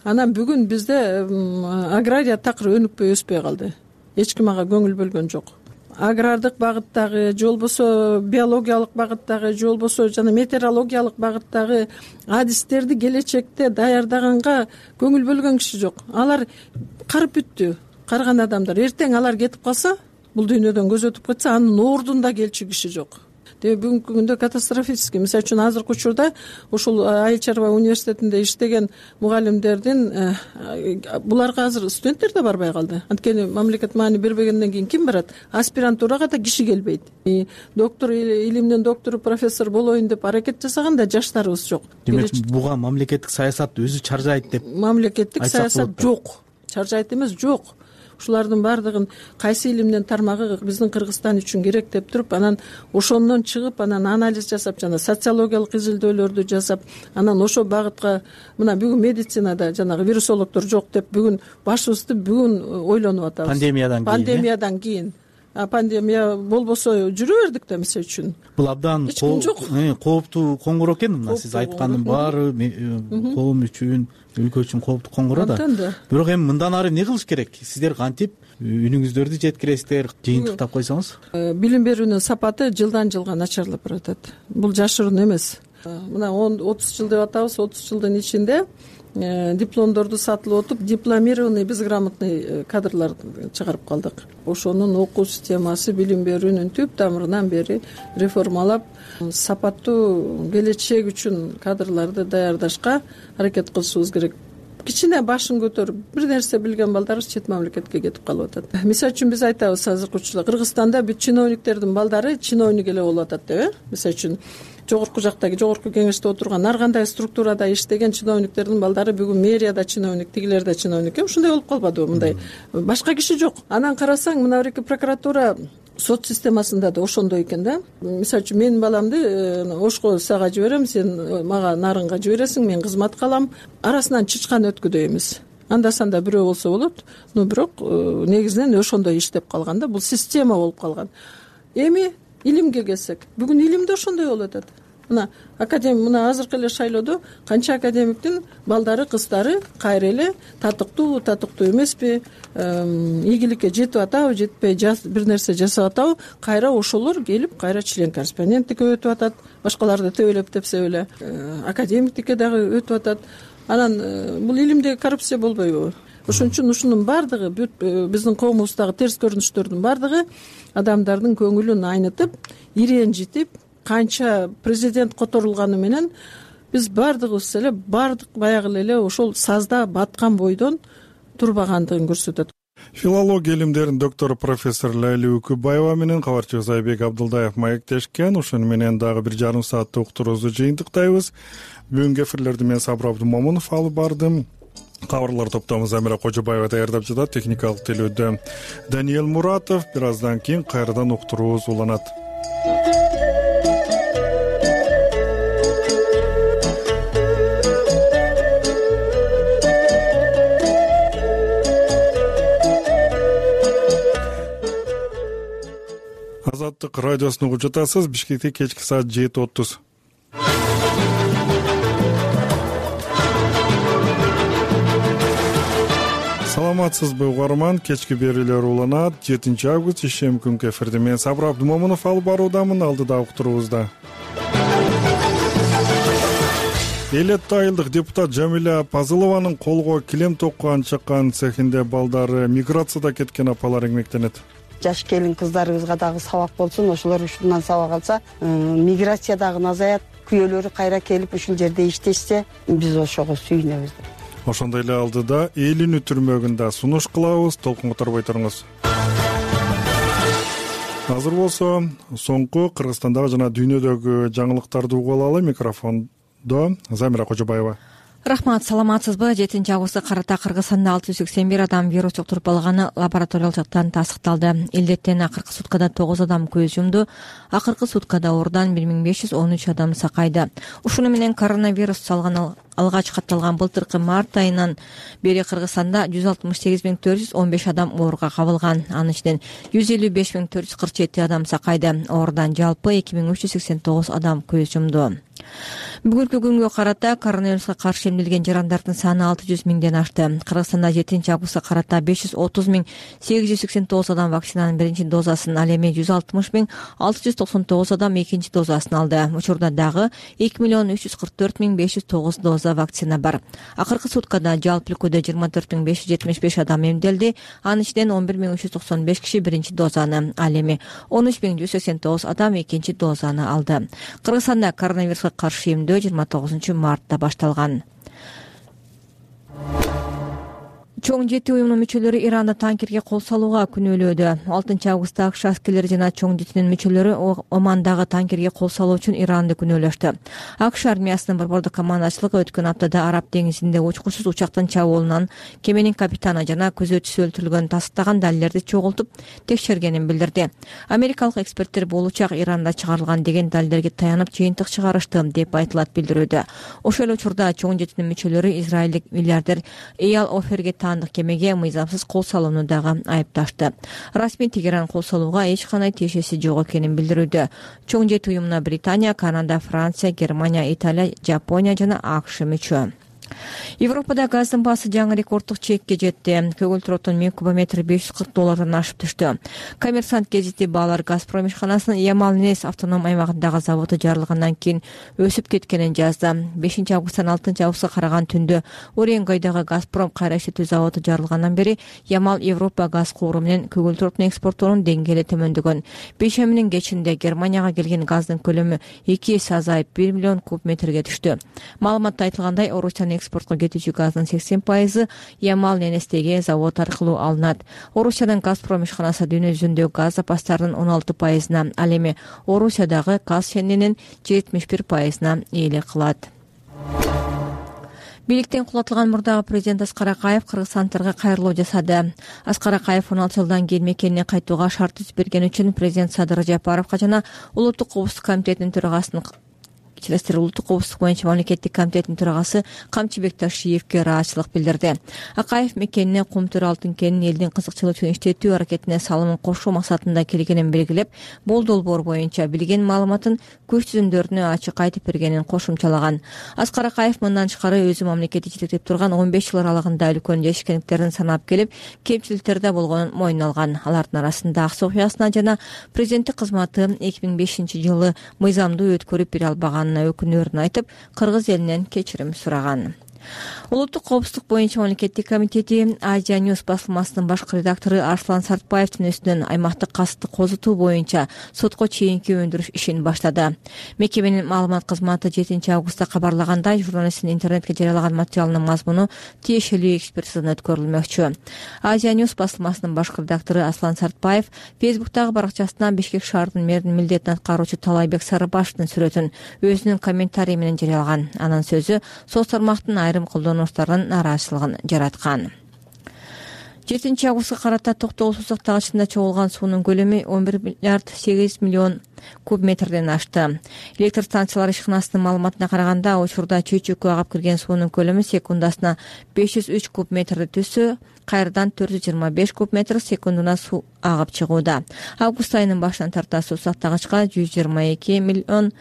[SPEAKER 17] Анан бүгүн бизде агрария такыр өнүкпөй өспөй калды. Эч ким ага көңүл бөлгөн жок. Агрардык багыттагы, же болбосо биологиялык багыттагы, же болбосо жана метеорологиялык багыттагы адистерди келечекте даярдаганга көңүл бөлгөн киши жок. Алар карып бүттү. Карган адамдар эртең алар кетип калса, бул дүйнөдөн көз өтүп кетсе, анын ордунда келчү киши жок. Демек бүгүнкү күндө катастрофический. Мисалы үчүн азыркы учурда ушул Айыл чарба университетинде иштеген мугалимдердин буларга азыр студенттер да барбай калды. Анткени мамлекет маани бербегенден кийин ким барат? Аспирантурага да киши келбейт. Доктор, илимдин доктору, профессор болоюн деп аракет жасаган да жаштарыбыз жок.
[SPEAKER 16] Демек, буга мамлекеттик саясат өзү чаржайт деп.
[SPEAKER 17] Мамлекеттик саясат жок. Чаржайт эмес, жок. Ушулардын баардыгын кайсы илимдин тармагы биздин Кыргызстан үчүн керек деп туруп, анан ошондон чыгып, анан анализ жасап, жана социологиялык изилдөөлөрдү жасап, анан ошо багытка, мына бүгүн медицинада жанагы вирусологдор жок деп бүгүн башыбызды бүгүн ойлонуп атабыз.
[SPEAKER 16] Пандемиядан кийин.
[SPEAKER 17] Пандемиядан кийин. А пандемия болбосо жүрө бердик да, мисалы үчүн.
[SPEAKER 16] Бул абдан кооптуу коңгуроо экен. Мына сиз айткандын баары коом үчүн, өлкө үчүн кооптуу коңгуроо да. Бирок эми мындан ары эмне кылыш керек? Сиздер кантип үнүңүздөрдү жеткиресиздер? Жыйынтыктап койсоңуз.
[SPEAKER 17] Билим берүүнүн сапаты жылдан жылга начарлап баратат. Бул жашыруун эмес. Мына отуз жыл деп атабыз, отуз жылдын ичинде дипломдорду сатылып отуп, дипломированный, безграмотный кадрлар чыгарып калдык. Ошонун окуу системасы, билим берүүнүн түп тамырынан бери реформалап, сапаттуу келечек үчүн кадрларды даярдашка аракет кылышыбыз керек. Кичине башын көтөрүп, бир нерсе билген балдарыбыз чет мамлекетке кетип калып атат. Мисалы үчүн биз айтабыз азыркы учурда Кыргызстанда бүт чиновниктердин балдары чиновник эле болуп атат деп, э? Мисалы үчүн жогорку жактагы, жогорку кеңеште отурган ар кандай структурада иштеген чиновниктердин балдары бүгүн мэрияда чиновник, тигилер да чиновник. Ушундай болуп калбадыбы? Мындай башка киши жок. Анан карасаң, мына бирки прокуратура сот системасында да ошондой экен да. Мисалы үчүн менин баламды Ошко сага жиберем, сен мага Нарынга жибересиң, мен кызматка алам. Арасынан чычкан өткүдөй эмес. Анда санда бирөө болсо болот, но бирок негизинен ошондой иштеп калган да. Бул система болуп калган. Эми илимге келсек, бүгүн илимде ошондой болуп атат. Мына академик, мына азыркы эле шайлоодо канча академиктин балдары, кыздары кайра эле татыктуу, татыктуу эмеспи, ийгиликке жетип атабы, жетпей бир нерсе жасап атабы, кайра ошолор келип кайра член корреспонденттикке өтүп атат, башкаларды төбөлөп тепсе эле академиктикке дагы өтүп атат. Анан бул илимдеги коррупция болбойбу? Ошон үчүн ушунун баардыгы биздин коомубуздагы терс көрүнүштөрдүн баардыгы адамдардын көңүлүн айнытып, иренжитип, канча президент которулганы менен биз баардыгыбыз эле баардык баягы эле ошол сазда баткан бойдон турбагандыгын көрсөтөт.
[SPEAKER 1] Филология илимдеринин доктору профессор Лайли Үкүбаева менен кабарчыбыз Айбек Абдылдаев маектешкен. Ошону менен дагы бир жарым сааттык уктуруубузду жыйынтыктайбыз. Бүгүнкү эфирлерди мен Сабыр Абдымомунов алып бардым. Кабарлар топтомун Замира Кожобаева даярдап жатат. Техникалык телөөдө Даниэл Муратов. Бир аздан кийин кайрадан уктуруубуз уланат. Азаттык радиосуну угуп жатасыз. Бишкекте кечки саат жети отуз. Саламатсызбы угарман? Кечки берүүлөр уланат. жетинчи август ишем күнкү эфирди мен Сабыр Абдымомунов алып баруудамын. Алдыда уктуруубузда элүү айылдык депутат Жамиля Пазылованын колго килем токкан чыккан цехинде балдары миграцияда кеткен апалар эмгектенет.
[SPEAKER 18] Жаш келин кыздарыбызга дагы сабак болсун, ошолор ушундан сабак алса, миграция дагы азаят, күйөөлөрү кайра келип ушул жерде иштешсе, биз ошого сүйүнөбүз.
[SPEAKER 1] Ошондой эле алдыда Элинүү түрмөгүндө сунуш кылабыз. Толкунга торбой туруңуз. Азыр болсо соңку Кыргызстандагы жана дүйнөдөгү жаңылыктарды угуп алалы. Микрофондо Замира Кожобаева.
[SPEAKER 4] Рахмат, саламатсызбы? жетинчи августка карата Кыргызстанда алты жүз сексен бир адам вирус жуктуруп алганы лабораториялык жактан тастыкталды. Илдеттен акыркы суткада тогуз адам көз жумду. Акыркы суткада оорудан бир миң беш жүз он үч адам сакайды. Ушуну менен коронавирус салган алгач катталган былтыркы март айынан бери Кыргызстанда жүз алтымыш сегиз миң төрт жүз он беш адам ооруга кабылган. Анын ичинен жүз элүү беш миң төрт жүз кырк жети адам сакайды. Оорудан жалпы эки миң үч жүз сексен тогуз адам көз жумду. Бүгүнкү күнгө карата коронавируска каршы эмделген жарандардын саны алты жүз миңден ашты. Кыргызстанда жетинчи августка карата беш жүз отуз миң сегиз жүз сексен тогуз адам вакцинанын биринчи дозасын, ал эми жүз алтымыш миң алты жүз токсон тогуз адам экинчи дозасын алды. Учурда дагы эки миллион үч жүз кырк төрт миң беш жүз тогуз доза вакцина бар. Акыркы суткада жалпы өлкөдө жыйырма төрт миң беш жүз жетимиш беш адам эмделди. Анын ичинен он бир миң үч жүз токсон беш киши биринчи дозаны, ал эми он үч миң жүз сексен тогуз адам экинчи дозаны алды. Кыргызстанда коронавируска каршы эмдөө жыйырма тогузунчу мартта башталган. Чоң жети уюмунун мүчөлөрү Иранда танкерге кол салууга күнөөлөөдө. алтынчы августта АКШ аскерлери жана чоң жетинин мүчөлөрү Омандагы танкерге кол салуу үчүн Иранды күнөөлөштү. АКШ армиясынын борбордук командачылыгы өткөн аптада Араб деңизинде учкучсуз учактын чабуулунан кеменин капитаны жана күзөтчүсү өлтүрүлгөнүн тастыктаган далилдерди чогултуп текшергенин билдирди. Америкалык эксперттер бул учак Иранда чыгарылган деген далилдерге таянып жыйынтык чыгарышты деп айтылат билдирүүдө. Ошол эле учурда чоң жетинин мүчөлөрү израилдик миллиардер Эял Оферге андык кемеге мыйзамсыз кол салууну дагы айыпташты. Расмий Тегеран кол салууга эч кандай тиешеси жок экенин билдирүүдө. Чоң жети уюмуна Британия, Канада, Франция, Германия, Италия, Жапония жана АКШ мүчө. Европада газдын баасы жаңы рекорддук чекке жетти. Көгүлтүр оттун миң кубометри беш жүз кырк доллардан ашып түштү. Коммерсант гезити баалар Газпром ишканасынын Ямал-Ненец автоном аймагындагы заводу жарылгандан кийин өсүп кеткенин жазды. бешинчи августтан алтынчы августка караган түндө Уренгойдогу Газпром кайра иштетүү заводу жарылгандан бери Ямал Европа газ кууру менен көгүлтүр оттун экспорттоонун деңгээли төмөндөгөн. Бейшембинин кечинде Германияга келген газдын көлөмү эки эсе азайып бир миллион куб метрге түштү. Маалыматта айтылгандай, Орусиянын экспортко кетүүчү газдын сексен пайызы Ямал-Ненецтеги завод аркылуу алынат. Орусиянын Газпром ишканасы дүйнө жүзүндөгү газ запастарынын он алты пайызына, ал эми Орусиядагы газ шенинин жетимиш бир пайызына ээлик кылат. Бийликтен кулатылган мурдагы президент Аскар Акаев кыргызстандыктарга кайрылуу жасады. Аскар Акаев он алты жылдан кийин мекенине кайтууга шарт түзүп берген үчүн президент Садыр Жапаровго жана Улуттук коопсуздук комитетинин төрагасынын Чилестер улуттук коопсуздук боюнча мамлекеттик комитетинин төрагасы Камчыбек Ташиевке ыраазычылык билдирди. Акаев мекенине Кумтөр алтын кенин элдин кызыкчылыгы үчүн иштетүү аракетине салымын кошуу максатында келгенин белгилеп, бул долбоор боюнча билген маалыматын көч түзүмдөрүнө ачык айтып бергенин кошумчалаган. Аскар Акаев мындан тышкары өзү мамлекетти жетектеп турган он беш жыл аралыгында үлкөн жетишкендиктерин санап келип, кемчиликтер да болгонун мойнуна алган. Алардын арасында Аксы окуясына жана президенттик кызматы эки миң бешинчи жылы мыйзамдуу өткөрүп бере албаган өкүнөрүн айтып, кыргыз элинен кечирим сураган. Улуттук коопсуздук боюнча мамлекеттик комитети Азия Ньюс басылмасынын башкы редактору Арслан Сартбаевдин үстүнөн аймактык касыпты козутуу боюнча сотко чейинки өндүрүш ишин баштады. Мекеменин маалымат кызматы жетинчи августта кабарлагандай, журналисттин интернетке жарыялаган материалынын мазмуну тиешелүү экспертизадан өткөрүлмөкчү. Азия Ньюс басылмасынын башкы редактору Аслан Сартбаев Фейсбуктагы баракчасынан Бишкек шаарынын мэринин милдетин аткаруучу Талайбек Сарыбашевдин сүрөтүн өзүнүн комментарий менен жарыялаган. Анын сөзү соц тармактын айрым колдонуучуларынын нааразычылыгын жараткан. жетинчи августка карата Токтогул суу тагычында чогулган суунун көлөмү он бир миллиард сегиз миллион куб метрден ашты. Электр станциялары ишканасынын маалыматына караганда, учурда чөйчөккө агып кирген суунун көлөмү секундасына беш жүз үч куб метрди түзсө, кайрадан төрт жүз жыйырма беш куб метр секундуна суу агып чыгууда. Август айынын башынан тарта суу тагычка жүз жыйырма эки миллион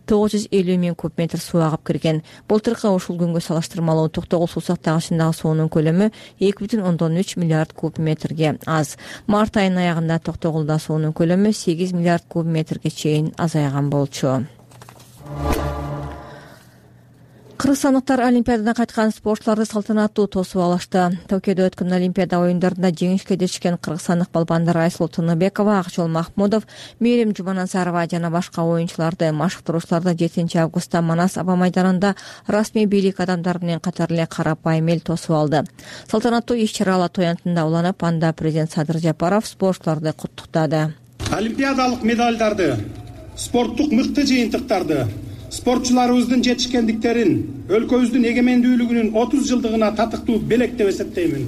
[SPEAKER 4] тогуз жүз элүү миң куб метр суу агып кирген. Былтыркы ушул күнгө салыштырмалуу Токтогул суу тагычындагы суунун көлөмү эки бүтүн ондон үч миллиард куб метрге аз. Март айынын аягында Токтогулда суунун көлөмү сегиз миллиард куб метрге чейин азайган болчу. Кыргызстандыктар Олимпиададан кайткан спортчуларды салтанаттуу тосуп алышты. Токиодо өткөн Олимпиада оюндарында жеңишке жетишкен кыргызстандык балбандар Айсулуу Тыныбекова, Акжол Махмудов, Мээрим Жуманазарова жана башка оюнчуларды, машыктыруучуларды жетинчи августта Манас аба майданында расмий бийлик адамдары менен катар эле карапайым эл тосуп алды. Салтанаттуу иш-чара Ала-Тоо аянтында уланып, анда президент Садыр Жапаров спортчуларды куттуктады.
[SPEAKER 19] Олимпиадалык медалдарды, спорттук мыкты жыйынтыктарды, спортчуларыбыздын жетишкендиктерин, өлкөбүздүн эгемендүүлүгүнүн отуз жылдыгына татыктуу белек деп эсептеймин.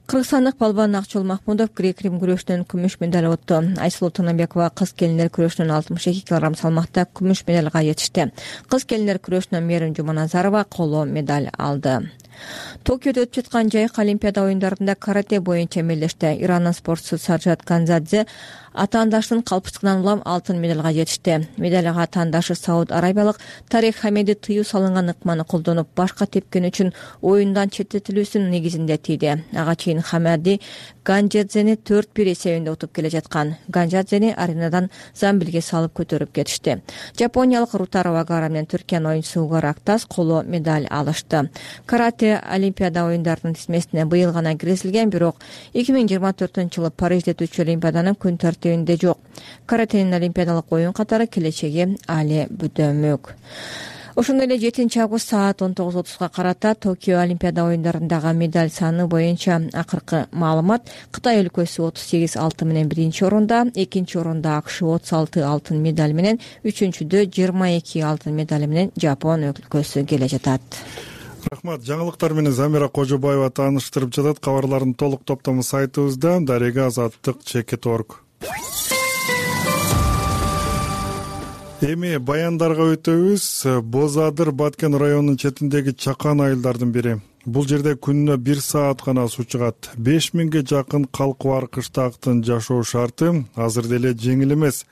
[SPEAKER 4] Кыргызстандык балбан Акжол Махмудов грек-рим күрөшүнөн күмүш медаль утtu. Айсулуу Тыныбекова кыз келиндер күрөшүнөн алтымыш эки килограмм салмакта күмүш медальга жетишти. Кыз келиндер күрөшүнөн Мээрим Жуманазарова коло медаль алды. Токиодо өтүп жаткан жайык Олимпиада оюндарында карате боюнча эмелеште. Ирандын спортчусу Саджад Ганзадзе атаандаштын калпычтыгынан улам алтын медальга жетишти. Медальга атаандашы Сауд Арабиялык Тарек Хамеди тыюу салынган ыкманы колдонуп, башка тепкен үчүн оюндан четтетилүүсүнүн негизинде тийди. Ага чейин Хамеди Ганжадзени төрт бир эсебинде утуп келе жаткан. Ганжадзени аренадан замбилге салып көтөрүп кетишти. Жапониялык Рутаро Вагара менен Түркиянын оюнчусу Угар Актас коло медаль алышты. Карате Олимпиада оюндарынын тизмесине быйыл гана киргизилген, бирок эки миң жыйырма төртүнчү жылы Парижде өтүүчү Олимпиаданын күн тартибинде жок. Каратенин олимпиадалык оюн катары келечеги али бүдөмөк. Ошондой эле жетинчи август саат он тогуз отузга карата Токио Олимпиада оюндарындагы медаль саны боюнча акыркы маалымат: Кытай өлкөсү отуз сегиз алтын менен биринчи орунда, экинчи орунда АКШ отуз алты алтын медаль менен, үчүнчүдө жыйырма эки алтын медаль менен Жапон өлкөсү келе жатат.
[SPEAKER 1] Рахмат. Жаңылыктар менен Замира Кожобаева тааныштырып жатат. Кабарлардын толук топтому сайтыбызда дарега азаттык чекит точка орг. Эми баяндарга өтөбүз. Боз Адыр Баткен районунун четиндеги чакан айылдардын бири. Бул жерде күнүнө бир саат гана суу чыгат. беш миңге жакын калкы бар кыштактын жашоо шарты азыр деле жеңил эмес.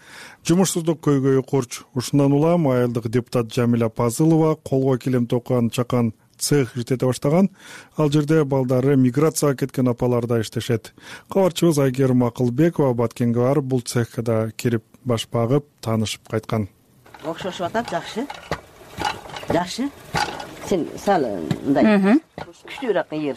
[SPEAKER 1] Жумушсуздук көйгөйү курч. Ушундан улам айылдык депутат Жамиля Пазылова колго килем токкан чакан цех иштете баштаган. Ал жерде балдары миграцияга кеткен апалар да иштешет. Кабарчыбыз Айгерим Акылбекова Баткенге барып, бул цехке да кирип баш багып, таанышып кайткан.
[SPEAKER 20] Окшошуп атат, жакшы. Жакшы. Сен сал мындай күчтүүрөөк ийер.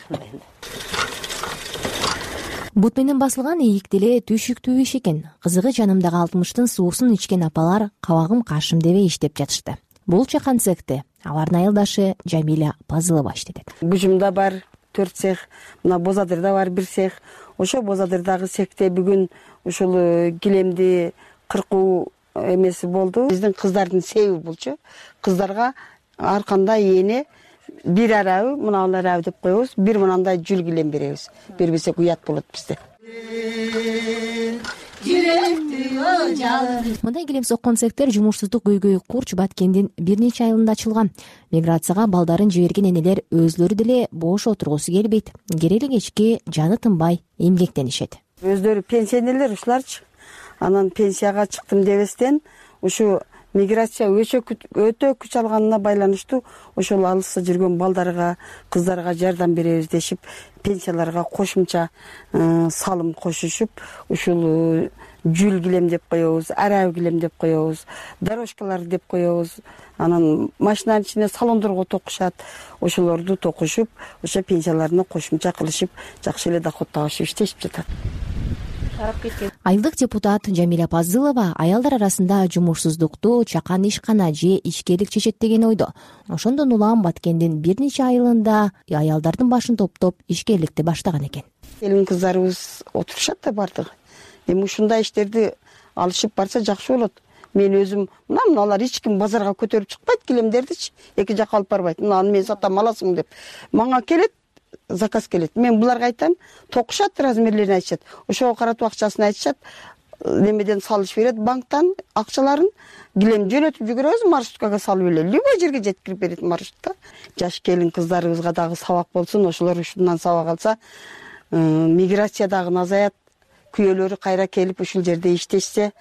[SPEAKER 21] Бут менен басылган ийик деле түйшүктүү иш экен. Кызыгы жанымдагы алтымыштын суусун ичкен апалар кабагым каршым дебей иштеп жатышты. Бул чакан цехте алардын айылдашы Жамиля Пазылова иштетет.
[SPEAKER 18] Бужумда бар төрт цех, мына Боз Адырда бар бир цех. Ошо Боз Адырдагы цехте бүгүн ушул килемди кыркуу эмеси болду. Биздин кыздардын себеби болчу. Кыздарга ар кандай эне бир арабы, мына арабы деп коебуз, бир мынандай жүл килем беребиз. Бербесек уят болот бизде.
[SPEAKER 21] Мындай килем соккон цехтер жумушсуздук көйгөйү курч Баткендин бир нече айылында ачылган. Миграцияга балдарын жиберген энелер өзлөрү деле бош отургусу келбейт. Керели кечки жаны тынбай эмгектенишет.
[SPEAKER 18] Өздөрү пенсионерлер ушуларчы. Анан пенсияга чыктым дебестен ушу миграция өтө күч алганына байланыштуу ошол алыста жүргөн балдарга, кыздарга жардам беребиз дешип, пенсияларга кошумча салым кошушуп, ушул жүл килем деп коебуз, араб килем деп коебуз, дорожкалар деп коебуз. Анан машинанын ичине салондорго токушат. Ошолорду токушуп, ошо пенсияларына кошумча кылышып, жакшы эле доход табышып иштешип жатат.
[SPEAKER 21] Айылдык депутат Жамиля Пазылова аялдар арасында жумушсуздукту чакан ишкана же ичкерлик чечет деген ойдо. Ошондон улам Баткендин бир нече айылында аялдардын башын топтоп ишкерликти баштаган экен.
[SPEAKER 18] Келин кыздарыбыз отурушат да бардыгы. Эми ушундай иштерди алышып барса жакшы болот. Мен өзүм мына мыналар эч ким базарга көтөрүп чыкпайт килемдердичи, эки жакка алып барбайт. Мынаны мен сатам, аласың деп. Мага келет, заказ келет. Мен буларга айтам, токушат, размерлерин айтышат. Ошого каратып акчасын айтышат. Немеден салыш берет, банктан акчаларын килем жөнөтүп жүгүрөбүз, маршруткага салып эле. Любой жерге жеткирип берет маршрутка. Жаш келин кыздарыбызга дагы сабак болсун, ошолор ушундан сабак алса, миграция дагы азаят. Күйөөлөрү кайра келип ушул жерде иштешсе,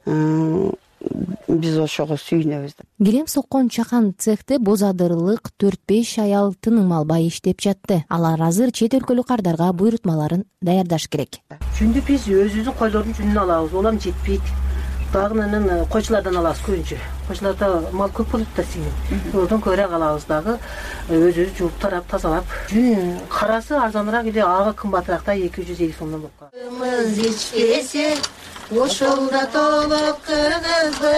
[SPEAKER 18] биз ошого сүйүнөбүз.
[SPEAKER 21] Килем соккон чакан цехте бозадырлык төрт беш аял тыным албай иштеп жатты. Алар азыр чет өлкөлүк кардарга буйрутмаларын даярдаш керек.
[SPEAKER 5] Жүндү биз өзүбүздүн койдордун жүнүн алабыз, улам жетпейт. Дагы анан койчулардан алабыз көбүнчө. Койчуларда мал көп болот да синин. Ордон көбүрөөк алабыз дагы, өзүбүз жууп тарап, тазалап. Жүн карасы арзаныраак эле, ага кымбатыраак да эки жүз элүү сомдон болуп калат. Ошолда толук кыргызбы.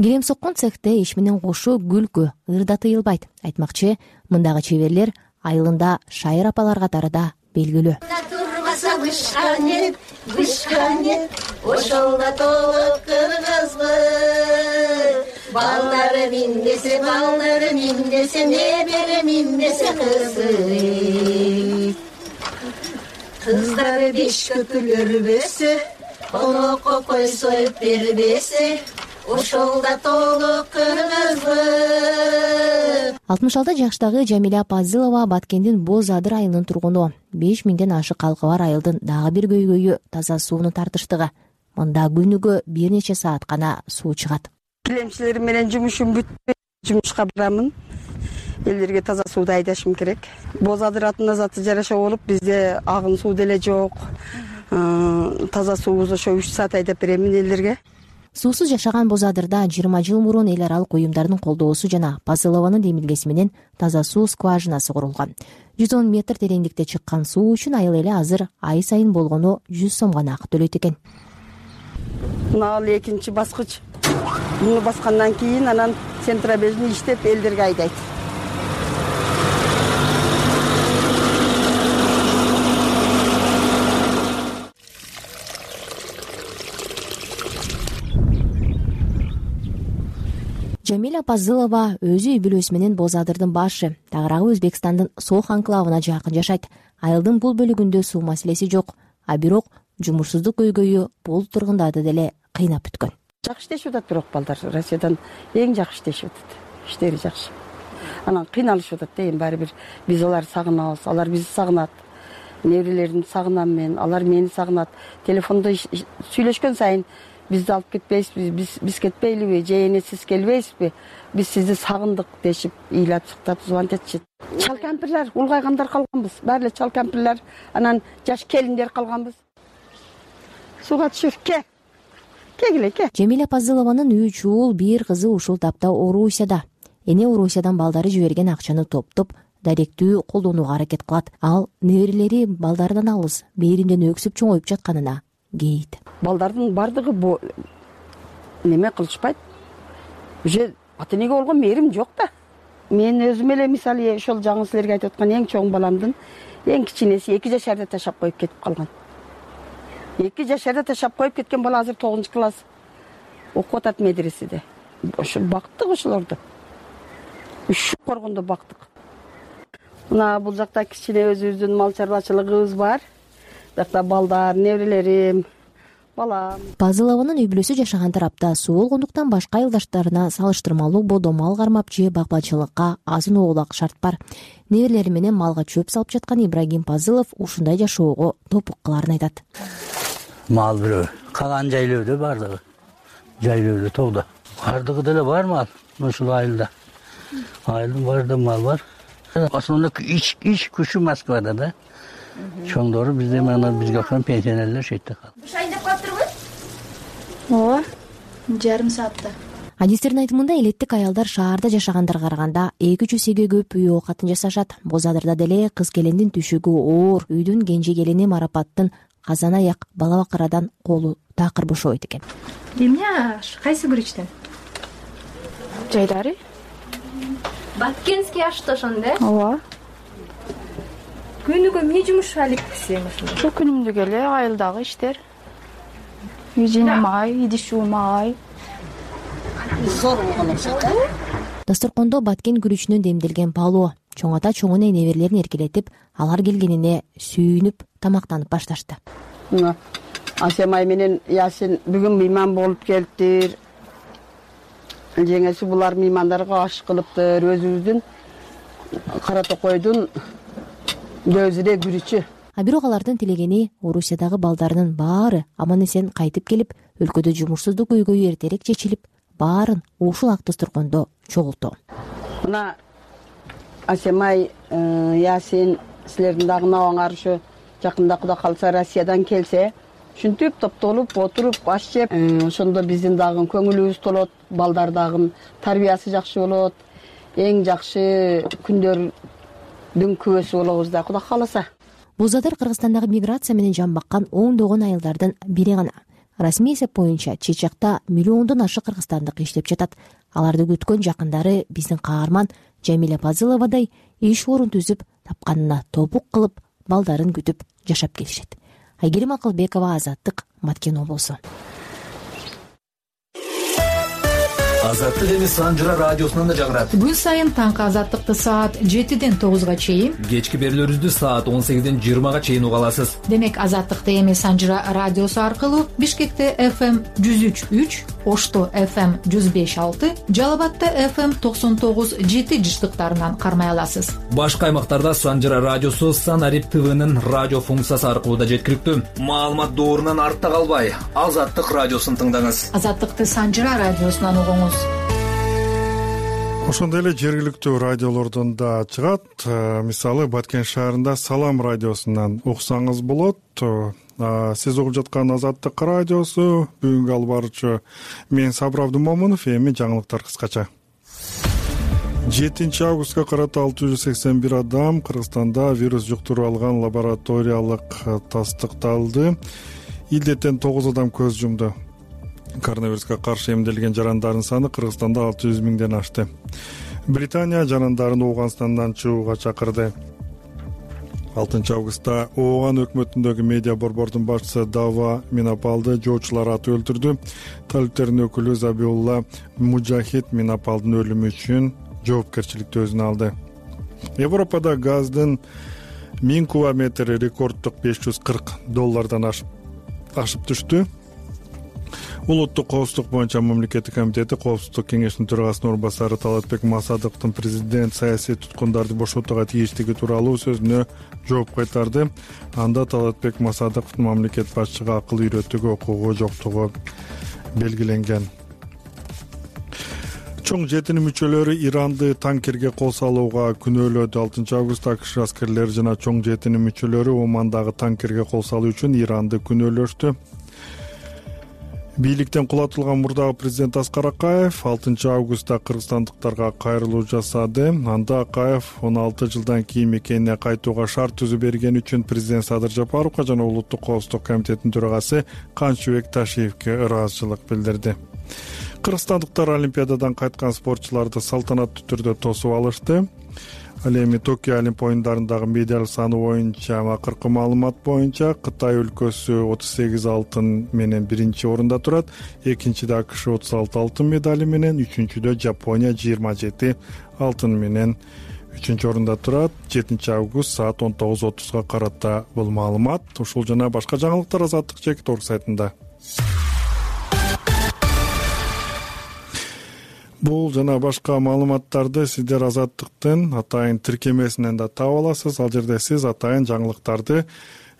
[SPEAKER 21] Килем соккон цехте иш менен кошо күлкү, ыр да тыйылбайт. Айтмакчы, мындагы чеберлер айылында шайыр апалар катары да белгилүү.
[SPEAKER 22] Турбаса бышканет, бышканет, ошолда толук кыргызбы. Балдары миндесе, балдары миндесе, небере миндесе кызы. Кыздары беш көтүлөрбөсө, конокко кой союп бербесе, ошолда толук кыргызбы.
[SPEAKER 21] алтымыш алты жаштагы Жамиля Пазылова Баткендин Боз Адыр айылынын тургуну. беш миңден ашык калкы бар айылдын дагы бир көйгөйү таза суунун тартыштыгы. Мында күнүгө бир нече саат гана суу чыгат.
[SPEAKER 18] Килемчилер менен жумушум бүтпөй, жумушка барамын. Элдерге таза сууду айдашым керек. Боз Адыр атына заты жараша болуп, бизде агын суу деле жок. Таза суубуз ошо үч саат айдап беремин элдерге.
[SPEAKER 21] Суусуз жашаган Боз Адырда жыйырма жыл мурун эл аралык уюмдардын колдоосу жана Пазылованын демилгеси менен таза суу скважинасы курулган. жүз он метр тереңдикте чыккан суу үчүн айыл эли азыр ай сайын болгону жүз сом гана акы төлөйт экен.
[SPEAKER 18] Мына ал экинчи баскыч. Муну баскандан кийин анан центробежни иштеп элдерге айдайт.
[SPEAKER 21] Жамиля Пазылова өзү үй бүлөсү менен Боз Адырдын башы, тагыраагы Өзбекстандын Сох анклавына жакын жашайт. Айылдын бул бөлүгүндө суу маселеси жок, а бирок жумушсуздук көйгөйү бул тургундарды деле кыйнап бүткөн.
[SPEAKER 18] Жакшы иштешип атат бирок балдар Россиядан эң жакшы иштешип атат. Иштери жакшы. Анан кыйналышып атат да, эми баары бир биз аларды сагынабыз, алар бизди сагынат. Неберелерин сагынам мен, алар мени сагынат. Телефондо сүйлөшкөн сайын бизди алып кетпейсизби, биз биз кетпейлиби, же эне сиз келбейсизби, биз сизди сагындык дешип, ыйлап сыктап звонтетчи. Чал кампирлер, улгайгандар калганбыз, баары эле чал кампирлер, анан жаш келиндер калганбыз. Сууга түшүр, ке. Кегиле, ке.
[SPEAKER 21] Жамиля Пазылованын үч уул, бир кызы ушул тапта Орусияда. Эне Орусиядан балдары жиберген акчаны топтоп, даректүү колдонууга аракет кылат. Ал неберелери балдардан алыс, бээримден өксүп чоңоюп жатканына кейит.
[SPEAKER 18] Балдардын бардыгы неме кылышпайт. Уже ата-энеге болгон мээрим жок да. Мен өзүм эле мисалы ошол жаңы силерге айтып аткан эң чоң баламдын эң кичинеси эки жашарда ташап коюп кетип калган. эки жашарда ташап коюп кеткен бала азыр тогузунчу класс окуп атат медреседе. Ошо бактык ошолорду. Үч коргондо бактык. Мына бул жакта кичине өзүбүздүн мал чарбачылыгыбыз бар. Жакта балдар, неберелерим, балам.
[SPEAKER 21] Пазылованын үй бүлөсү жашаган тарапта суу болгондуктан башка айылдаштарына салыштырмалуу бодо мал кармап же багбачылыкка азын оолак шарт бар. Неберелери менен малга чөп салып жаткан Ибрагим Пазылов ушундай жашоого топук кыларын айтат.
[SPEAKER 23] Мал бирөө, калган жайлоодо бардыгы. Жайлоодо тоодо. Бардыгы деле бар мал ушул айылда. Айылдын баарында мал бар. Основной ич ич күчү Москвада да. Чоңдору бизде мына бизге окшогон пенсионерлер шетте калды.
[SPEAKER 22] Буш айдап калыптырбы?
[SPEAKER 2] ооба жарым саатта.
[SPEAKER 21] Адистердин айтымында элеттик аялдар шаарда жашагандарга караганда эки үч эсеге көп үй оокатын жасашат. Бозадырда деле кыз келиндин түшүгү оор, үйдүн кенже келини Марапаттын казан аяк бала бакырадан колу такыр бошобойт экен.
[SPEAKER 2] Эмне кайсы күрүчтөн? Жайдары? Баткенский ашты ошондо? Ооба. Күнүгө эмне жумуш алектисиң ошондо? Ошо күнүмдүк эле айылдагы иштер. Үй жыйнамай, идиш жуумай.
[SPEAKER 20] Зор болгон окшойт да.
[SPEAKER 21] Дасторкондо баткен күрүчүнөн демделген палоо, чоң ата чоңуна неберелерин эркелетип, алар келгенине сүйүнүп тамактанып башташты.
[SPEAKER 18] Асемай менен Ясин бүгүн мейман болуп келиптир. Жеңеси булар меймандарга аш кылыптыр. Өзүбүздүн кара токойдун көзүрө күрүчү.
[SPEAKER 21] А бирок алардын тилегени Орусиядагы балдарынын баары аман эсен кайтып келип, өлкөдө жумушсуздук көйгөйү эртерээк чечилип, баарын ушул ак дасторкондо чогултуу.
[SPEAKER 18] Мына Асемай, Ясин, силердин дагы набаңар ушу жакында Кудай калса Россиядан келсе, ушинтип топтолуп отуруп аш жеп, ошондо биздин дагы көңүлүбүз толот, балдар дагы тарбиясы жакшы болот, эң жакшы күндөрдүн күбөсү болобуз да Кудай кааласа.
[SPEAKER 21] Бузадыр Кыргызстандагы миграция менен жан баккан ондогон айылдардын бири гана. Расмий эсеп боюнча Чечакта миллиондон ашык кыргызстандык иштеп жатат. Аларды күткөн жакындары биздин каарман Жамиля Пазыловадай иш орун түзүп, тапканына топук кылып, балдарын күтүп жашап келишет. Айгерим Акылбекова, Азаттык, Баткен облусу.
[SPEAKER 7] Азаттык эми Санжыра радиосунан да жагырат.
[SPEAKER 8] Күн сайын таңкы Азаттыкты саат жетиден тогузга чейин,
[SPEAKER 7] кечки берүүлөрүбүздү саат он сегизден жыйырмага чейин уга аласыз.
[SPEAKER 8] Демек Азаттыкты эми Санжыра радиосу аркылуу Бишкекте эф эм жүз үч үч, Ошто эф эм жүз беш алты, Жалал Абадта эф эм токсон тогуз жети жыштыктарынан кармай аласыз.
[SPEAKER 7] Башка аймактарда Санжыра радиосу Санарип ТВнын радио функциясы аркылуу да жеткиликтүү. Маалымат доорунан артта калбай, Азаттык радиосун тыңдаңыз.
[SPEAKER 8] Азаттыкты Санжыра радиосунан угуңуз.
[SPEAKER 1] Ошондой эле жергиликтүү радиолордон да чыгат. Мисалы Баткен шаарында Салам радиосунан уксаңыз болот. Сиз угуп жаткан Азаттык радиосу. Бүгүнкү алып баруучу мен Сабыр Абдумомунов. Эми жаңылыктар кыскача. жетинчи августка карата алты жүз сексен бир адам Кыргызстанда вирус жуктуруп алган лабораториялык тастыкталды. Илдеттен тогуз адам көз жумду. Коронавируска каршы эмделген жарандардын саны Кыргызстанда алты жүз миңден ашты. Британия жарандарын Ооганстандан чыгууга чакырды. алтынчы августта Ооган өкмөтүндөгү медиа борбордун башчысы Дава Минапалды жоочулар атып өлтүрдү. Талиптердин өкүлү Забиулла Мужахид Минапалдын өлүмү үчүн жоопкерчиликти өзүнө алды. Европада газдын миң кубометри рекордтук беш жүз кырк доллардан ашып түштү. Улуттук коопсуздук боюнча мамлекеттик комитети Коопсуздук кеңешинин төрагасынын орун басары Талатбек Масадыктын президент саясий туткундарды бошотууга тийиштиги тууралуу сөзүнө жооп кайтарды. Анда Талатбек Масадыктын мамлекет башчыга акыл үйрөтүүгө укугу жоктугу белгиленген. Чоң жетинин мүчөлөрү Иранды танкерге кол салууга күнөөлөдү. алтынчы августта АКШ аскерлери жана чоң жетинин мүчөлөрү Омандагы танкерге кол салуу үчүн Иранды күнөөлөштү. Бийликтен кулатылган мурдагы президент Аскар Акаев алтынчы августта кыргызстандыктарга кайрылуу жасады. Анда Акаев он алты жылдан кийин мекенине кайтууга шарт түзүп берген үчүн президент Садыр Жапаровго жана Улуттук коопсуздук комитетинин төрагасы Канчыбек Ташиевке ыраазычылык билдирди. Кыргызстандыктар Олимпиададан кайткан спортчуларды салтанаттуу түрдө тосуп алышты. Ал эми Токио Олимп оюндарындагы медаль саны боюнча акыркы маалымат боюнча Кытай өлкөсү отуз сегиз алтын менен биринчи орунда турат. Экинчиде АКШ отуз алты алтын медали менен, үчүнчүдө Жапония жыйырма жети алтын менен үчүнчү орунда турат. жетинчи август саат он тогуз отузга карата бул маалымат. Ушул жана башка жаңылыктар Азаттык чекит орг сайтында. Бул жана башка маалыматтарды сиздер Азаттыктын атайын тиркемесинен да таап аласыз. Ал жерде сиз атайын жаңылыктарды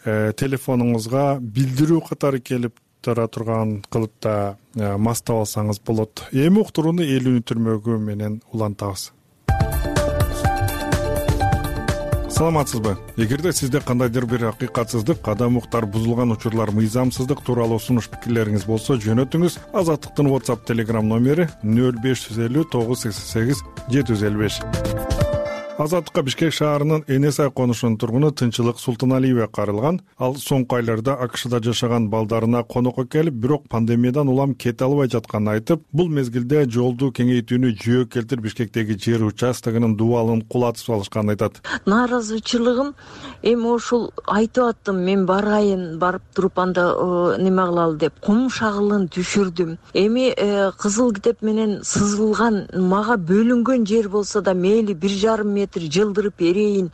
[SPEAKER 1] э, телефонуңузга билдирүү катары келип тура турган кылыпта э, мастап алсаңыз болот. Эми уктурууну эл үнү түрмөгү менен улантабыз. саламатсызбы? Эгерде сизде кандайдыр бир акыйкатсыздык, кадам уктар бузулган учурлар, мыйзамсыздык тууралуу сунуш пикирлериңиз болсо жөнөтүңүз. Азаттыктын WhatsApp Telegram номери нөл беш жүз элүү тогуз жүз сексен сегиз жети жүз элүү беш. Азаттыкка Бишкек шаарынын Энесай конушунун тургуну Тынчылык Султаналиева кайрылган. Ал соңку айларда АКШда жашаган балдарына конокко келип, бирок пандемиядан улам кете албай жатканын айтып, бул мезгилде жолду кеңейтүүнү жөө келтирип Бишкектеги жер участогунун дубалын кулатып салышканын айтат.
[SPEAKER 6] Нааразычылыгым эми ушул айтып аттым, мен барайын, барып туруп анда неме кылалы деп кум шагылын түшүрдүм. Эми кызыл китеп менен сызылган, мага бөлүнгөн жер болсо да мейли бир жарым метр жылдырып берейин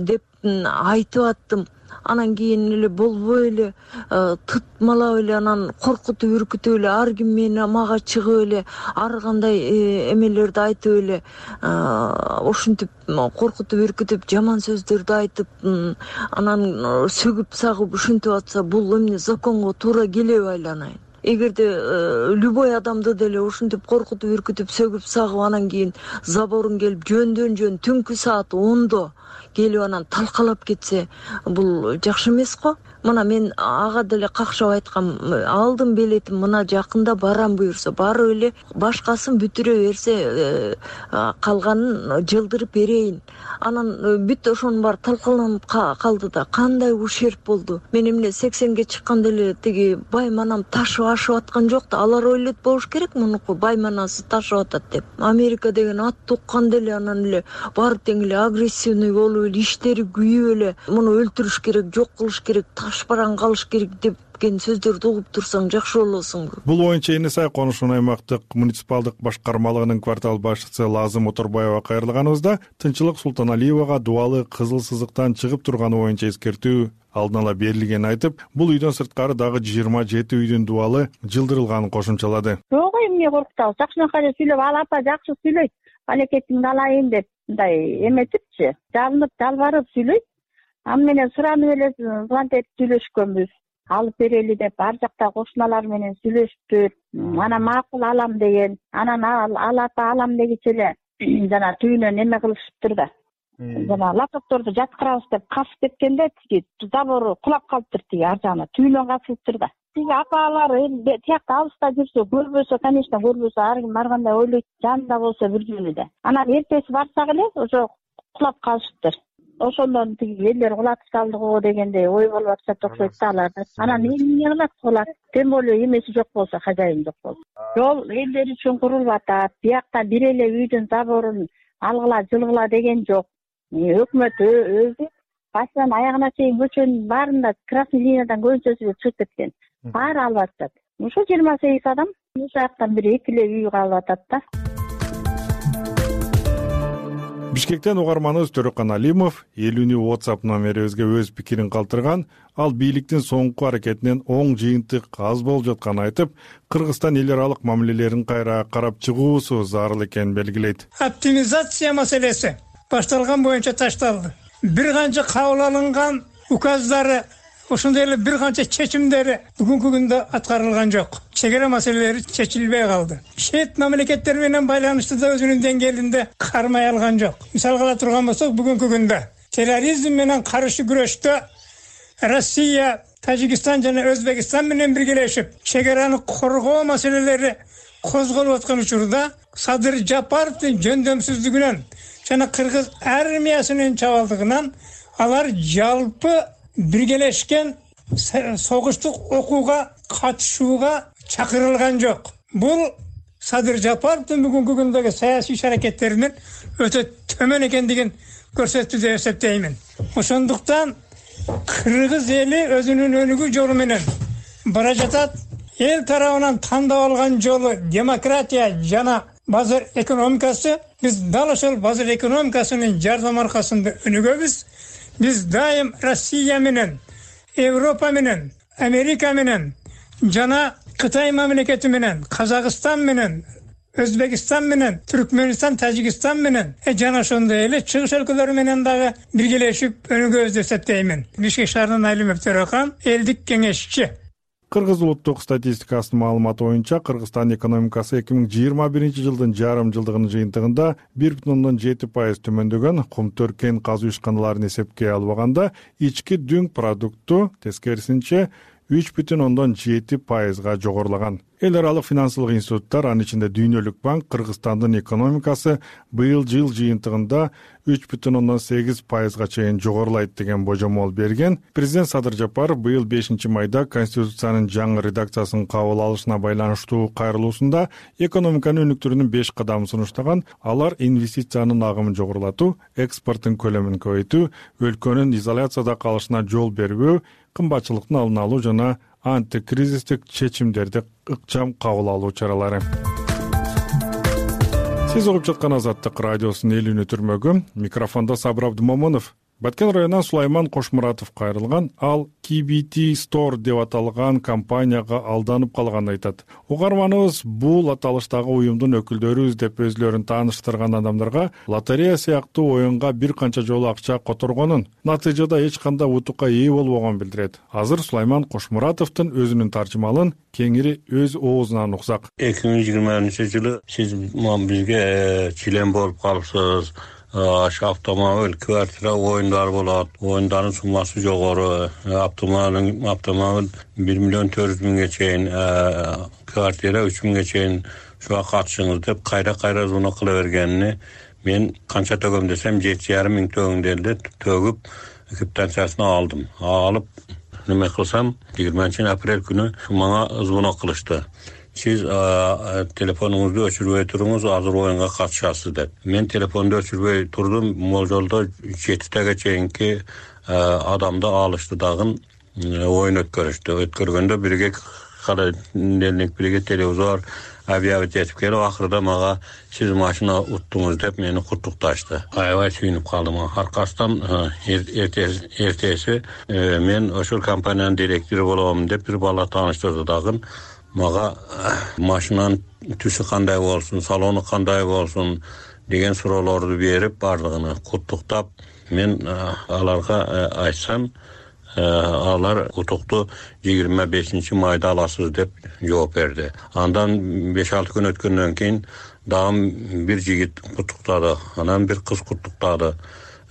[SPEAKER 6] деп айтып аттым. Анан кийин эле болбой эле тытмалап эле, анан коркутуп үркүтүп эле, ар ким мени мага чыгып эле ар кандай эмелерди айтып эле, ошентип коркутуп үркүтүп жаман сөздөрдү айтып, анан сөгүп сагып ушинтип атса, бул эмне законго туура келеби айланайын? Эгерде любой адамды деле ушинтип коркутуп үркүтүп сөгүп сагып, анан кийин заборун келип жөндөн жөн түнкү саат ондо келип анан талкалап кетсе, бул жакшы эмес го. Мына мен ага деле какшап айткам, алдым билетим, мына жакында барам буюрса барып эле, башкасын бүтүрө берсе калганын жылдырып берейин. Анан бүт ошонун баары талкаланып калды да, кандай ушерп болду. Мен эмне сексенге чыкканда эле тиги байманам ташып ашып аткан жок да, алар ойлойт болуш керек мунуку байманасы ташып атат деп. Америка деген ат укканда эле анан эле баары тең эле агрессивный болуп эле, иштери күйүп эле, муну өлтүрүш керек, жок кылыш керек, ташбаран калыш керек деп сөздөрдү угуп турсаң жакшы болосуңбу?
[SPEAKER 1] Бул оюнча Энесай конушунун аймактык муниципалдык башкармалыгынын квартал башчысы Лазым Оторбаева кайрылганыбызда Тынчылык Султаналиевага дубалы кызыл сызыктан чыгып турганы боюнча эскертүү алдын ала берилгенин айтып, бул үйдөн сырткары дагы жыйырма жети үйдүн дубалы жылдырылганын кошумчалады.
[SPEAKER 9] Жок, эмне коркутабыз? Жакшынакай эле сүйлөп, ал апа жакшы сүйлөйт, балекетиңди алайын деп мындай эметипчи, жабынып жалбарып сүйлөйт. Аны менен суранып эле звонок этип сүйлөшкөнбүз. Алып берели деп, ар жакта кошуналар менен сүйлөшүптүр. Анан макул алам деген, анан ал апа алам дегиче эле жана түйүнөн неме кылышыптыр да. Жана лаптопторду жаткырабыз деп касып кеткенде тиги забору кулап калыптыр, тиги ар жагына түйүнөн касылыптыр да. Тиги апалар тиякта алыста жүрсө, көрбөсө, конечно, көрбөсө, ар ким ар кандай ойлойт, жанында болсо бир жөнү да. Анан эртеси барсак эле ошо кулап калышыптыр. Ошондон тиги элдер кулатып салды го дегендей ой болуп атышат окшойт да аларда. Анан эмне кылат кулат? Тем более эмеси жок болсо, хозяин жок болсо. Жол элдер үчүн курулуп атат. Биякта бир эле үйдүн заборун алгыла, жылгыла деген жок. Өкмөт өзү башынан аягына чейин көчөнүн баарында красный линиядан көбүнчөсү чыгып кеткен. Баары алып атат. Ошо жыйырма сегиз адам ушул жактан бир эки эле үй калып атат да.
[SPEAKER 1] Бишкектен угарманыбыз Төрөкан Алимов элүүнү WhatsApp номерибизге өз пикирин калтырган. Ал бийликтин соңку аракетинен оң жыйынтык аз болуп жатканын айтып, Кыргызстан эл аралык мамилелерин кайра карап чыгуусу зарыл экенин белгилейт.
[SPEAKER 11] Оптимизация маселеси башталган боюнча ташталды. Бир канча кабыл алынган указдары, ошондой эле бир канча чечимдери бүгүнкү күндө аткарылган жок. Чегара маселелери чечилбей калды. Чет мамлекеттер менен байланышты да өзүнүн деңгээлинде кармай алган жок. Мисалга ала турган болсок, бүгүнкү күндө терроризм менен каршы күрөштө Россия, Тажикстан жана Өзбекстан менен биргелешип, чегараны коргоо маселелери козголуп аткан учурда Садыр Жапаровдун жөндөмсүздүгүнөн жана кыргыз армиясынын чабалдыгынан алар жалпы биргелешкен согуштук окууга катышууга чакырылган жок. Бул Садыр Жапаровдун бүгүнкү күндөгү саясий иш-аракеттеринин өтө төмөн экендигин көрсөттү деп эсептеймин. Ошондуктан кыргыз эли өзүнүн өнүгүү жолу менен бара жатат. Эл тарабынан тандап алган жолу демократия жана базар экономикасы. Биз дал ошол базар экономикасынын жардам аркасында өнүгөбүз. Биз дайым Россия менен, Европа менен, Америка менен жана Кытай мамлекети менен, Казакстан менен, Өзбекстан менен, Түркмөнстан, Тажикстан менен жана ошондой эле чыгыш өлкөлөр менен дагы биргелешип өнүгөбүз деп эсептеймин. Бишкек шаарынын Алимов Төрөкан, элдик кеңешчи.
[SPEAKER 1] Кыргыз улуттук статистикасынын маалыматы боюнча Кыргызстан экономикасы эки миң жыйырма биринчи жылдын жарым жылдыгынын жыйынтыгында бир бүтүн ондон жети пайыз төмөндөгөн. Кумтөр кен казуу ишканаларын эсепке албаганда ички дүң продукту тескерисинче үч бүтүн ондон жети пайызга жогорулаган. Эл аралык финансылык институттар, анын ичинде Дүйнөлүк банк, Кыргызстандын экономикасы быйыл жыл жыйынтыгында үч бүтүн ондон сегиз пайызга чейин жогорулайт деген божомол берген. Президент Садыр Жапаров быйыл бешинчи майда Конституциянын жаңы редакциясын кабыл алышына байланыштуу кайрылуусунда экономиканы өнүктүрүүнүн беш кадамын сунуштаган. Алар инвестициянын агымын жогорулатуу, экспорттун көлөмүн көбөйтүү, өлкөнүн изоляцияда калышына жол бербөө, кымбатчылыктын алдын алуу жана антикризистик чечимдерди ыкчам кабыл алуу чаралары. Сиз угуп жаткан Азаттык радиосунун эл үнү түрмөгү. Микрофондо Сабыр Абдымомунов. Баткен районунан Сулайман Кошмуратов кайрылган. Ал Ки Би Ти Store деп аталган компанияга алданып калганын айтат. Угарманыбыз бул аталыштагы уюмдун өкүлдөрүбүз деп өзлөрүн тааныштырган адамдарга лотерея сыяктуу оюнга бир канча жолу акча которгонун, натыйжада эч кандай утукка ээ болбогонун билдирет. Азыр Сулайман Кошмуратовдун өзүнүн таржымалын кеңири өз оозунан уксак.
[SPEAKER 3] эки миң жыйырма биринчи жылы сиз бизге член болуп калыпсыз. Автомобиль, квартира оюндар болот. Оюндардын суммасы жогору. Автомобиль, автомобиль бир миллион төрт жүз миңге чейин, квартира үч миңге чейин шуга катышыңыз деп кайра-кайра звонок кыла бергенини мен канча төгөм десем жети жарым миң төгүңдерди төгүп квитанциясын алдым. Алып неме кылсам жыйырманчы апрель күнү мага звонок кылышты. Сиз телефонуңузду өчүрбөй туруңуз, азыр оюнга катышасыз деп. Мен телефонду өчүрбөй турдум. Молжолдо жетитеге чейинки адамды алышты дагы оюн өткөрүштү. Өткөргөндө бирге холодильник, бирге телевизор объявить этип келип, акырда мага сиз машина уттуңуз деп мени куттукташты. Аябай сүйүнүп калдым. Аркасынан эртеси мен ошол компаниянын директору болом деп бир бала тааныштырды дагы. Мага машинанын түсү кандай болсун, салону кандай болсун деген суроолорду берип, бардыгын куттуктап, мен аларга айтсам, алар утукту жыйырма бешинчи майда аласыз деп жооп берди. Андан беш алты күн өткөндөн кийин дагы бир жигит куттуктады, анан бир кыз куттуктады.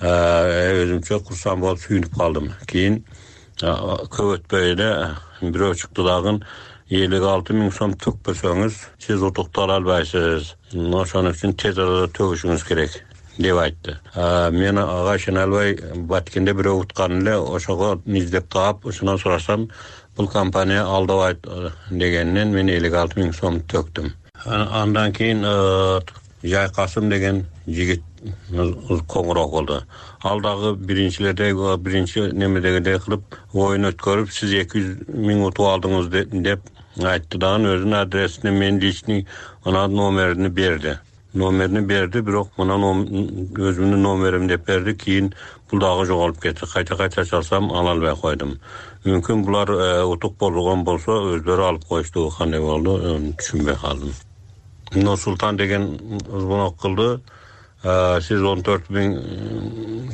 [SPEAKER 3] Өзүмчө курсам болуп сүйүнүп калдым. Кийин көп өтпөй эле бирөө чыкты дагы элүү алты миң сом төкпөсөңүз, сиз утуктала албайсыз. Ошон үчүн тез арада төгүшүңүз керек деп айтты. Мен ага ишене албай, Баткенде бирөө уткан эле, ошого издеп таап, ошондон сурасам, бул компания алдабайт дегенинен мен элүү алты миң сом төктүм. Андан кийин Жайкасым деген жигит коңгуроо болду. Ал дагы биринчилердей, биринчи немедегидей кылып оюн өткөрүп, сиз эки жүз миң утуп алдыңыз деп айтты дагы, өзүнүн адресине мен личный анан номерин берди. Номерин берди, бирок мына өзүмдүн номерим деп берди. Кийин бул дагы жоголуп кетти. Кайта-кайта чалсам ала албай койдум. Мүмкүн булар утук болгон болсо өзлөрү алып коюшту, кандай болду түшүнбөй калдым. Нур Султан деген звонок кылды. Сиз он төрт миң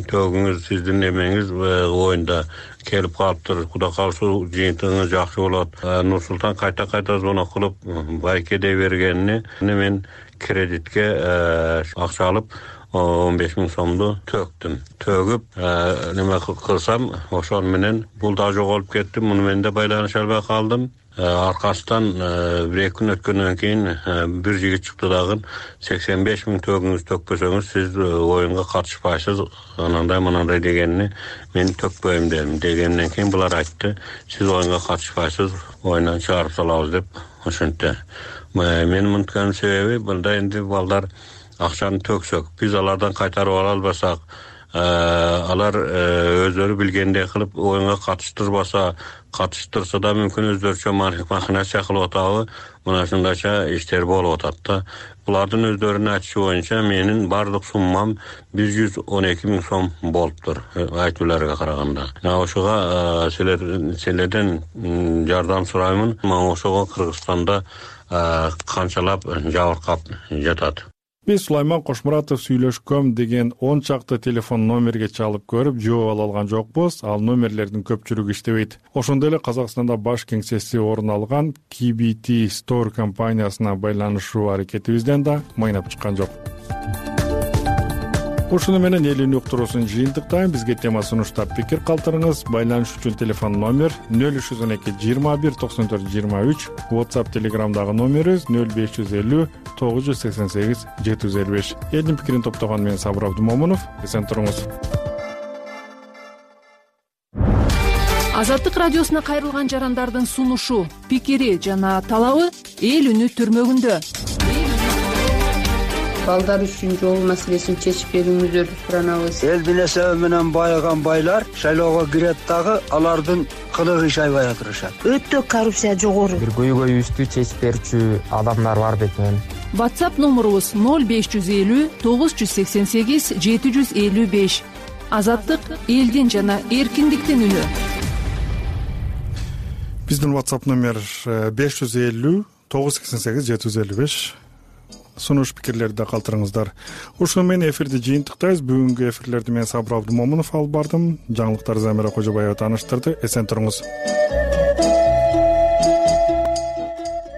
[SPEAKER 3] төгүңүз, сиздин эмеңиз оюнда келип калыптыр. Кудай кааласа жыйынтыгыңыз жакшы болот. Нур Султан кайта-кайта звонок кылып, байкеде бергенини мен кредитке акча алып он беш миң сомду төктүм. Төгүп неме кылсам, ошол менен бул да жоголуп кетти. Муну менен да байланыша албай калдым. Аркасынан бир эки күн өткөндөн кийин бир жигит чыкты дагы, сексен беш миң төгүңүз төкпөсөңүз сиз оюнга катышпайсыз, анандай мынандай дегенини мен төкпөйм дедим. Дегенден кийин булар айтты, сиз оюнга катышпайсыз, оюндан чыгарып салабыз деп ошентти. Мен мынткан себеби мында энди балдар акчаны төксөк, биз алардан кайтарып ала албасак, алар өздөрү билгендей кылып оюнга катыштырбаса, катыштырса да мүмкүн өздөрүчө махинация кылып атабы, мына ушундайча иштер болуп атат да. Булардын өздөрүнүн айтышы боюнча менин бардык суммам бир жүз он эки миң сом болуптур, айтууларга караганда. Ошого силерден жардам сураймын. Мага ошого Кыргызстанда канчалап жабыркап жатат.
[SPEAKER 1] биз Сулайман Кошмуратов сүйлөшкөм деген он чакты телефон номерге чалып көрүп жооп ала алган жокпуз. Ал номерлердин көпчүлүгү иштебейт. Ошондой эле Казакстанда баш кеңсеси орун алган кей би ти Store компаниясына байланышуу аракетибизден да майнап чыккан жок. Ушуну менен эл үнү уктуруусун жыйынтыктайм. Бизге тема сунуштап пикир калтырыңыз. Байланыш үчүн телефон номер нөл үч жүз он эки жыйырма бир токсон төрт жыйырма үч, WhatsApp Telegramдагы номерибиз нөл беш жүз элүү тогуз жүз сексен сегиз жети жүз элүү беш. Элдин пикирин топтогон мен Сабыр Абдумомунов. Эсен туруңуз.
[SPEAKER 8] Азаттык радиосуна кайрылган жарандардын сунушу, пикири жана талабы эл үнү түрмөгүндө.
[SPEAKER 10] Балдар үчүн жол маселесин чечип берүүңүздөрдү суранабыз.
[SPEAKER 13] Элдин эсеби менен байыган байлар шайлоого кирет дагы алардын кылыгы иш аябай атырышат.
[SPEAKER 10] Өтө коррупция жогору.
[SPEAKER 14] Бир көйгөйүбүздү чечип берүүчү адамдар бар бекен.
[SPEAKER 8] WhatsApp номерубуз нөл беш жүз элүү тогуз жүз сексен сегиз жети жүз элүү беш. Азаттык элдин жана эркиндиктин үнү.
[SPEAKER 1] Биздин WhatsApp номер беш жүз элүү тогуз жүз сексен сегиз жети жүз элүү беш. Сунуш пикирлерди калтырыңыздар. Ушуну менен эфирди жыйынтыктайбыз. Бүгүнкү эфирлерди мен Сабыр Абдумомунов алып бардым. Жаңылыктарды Замира Кожобаева тааныштырды. Эсен туруңуз.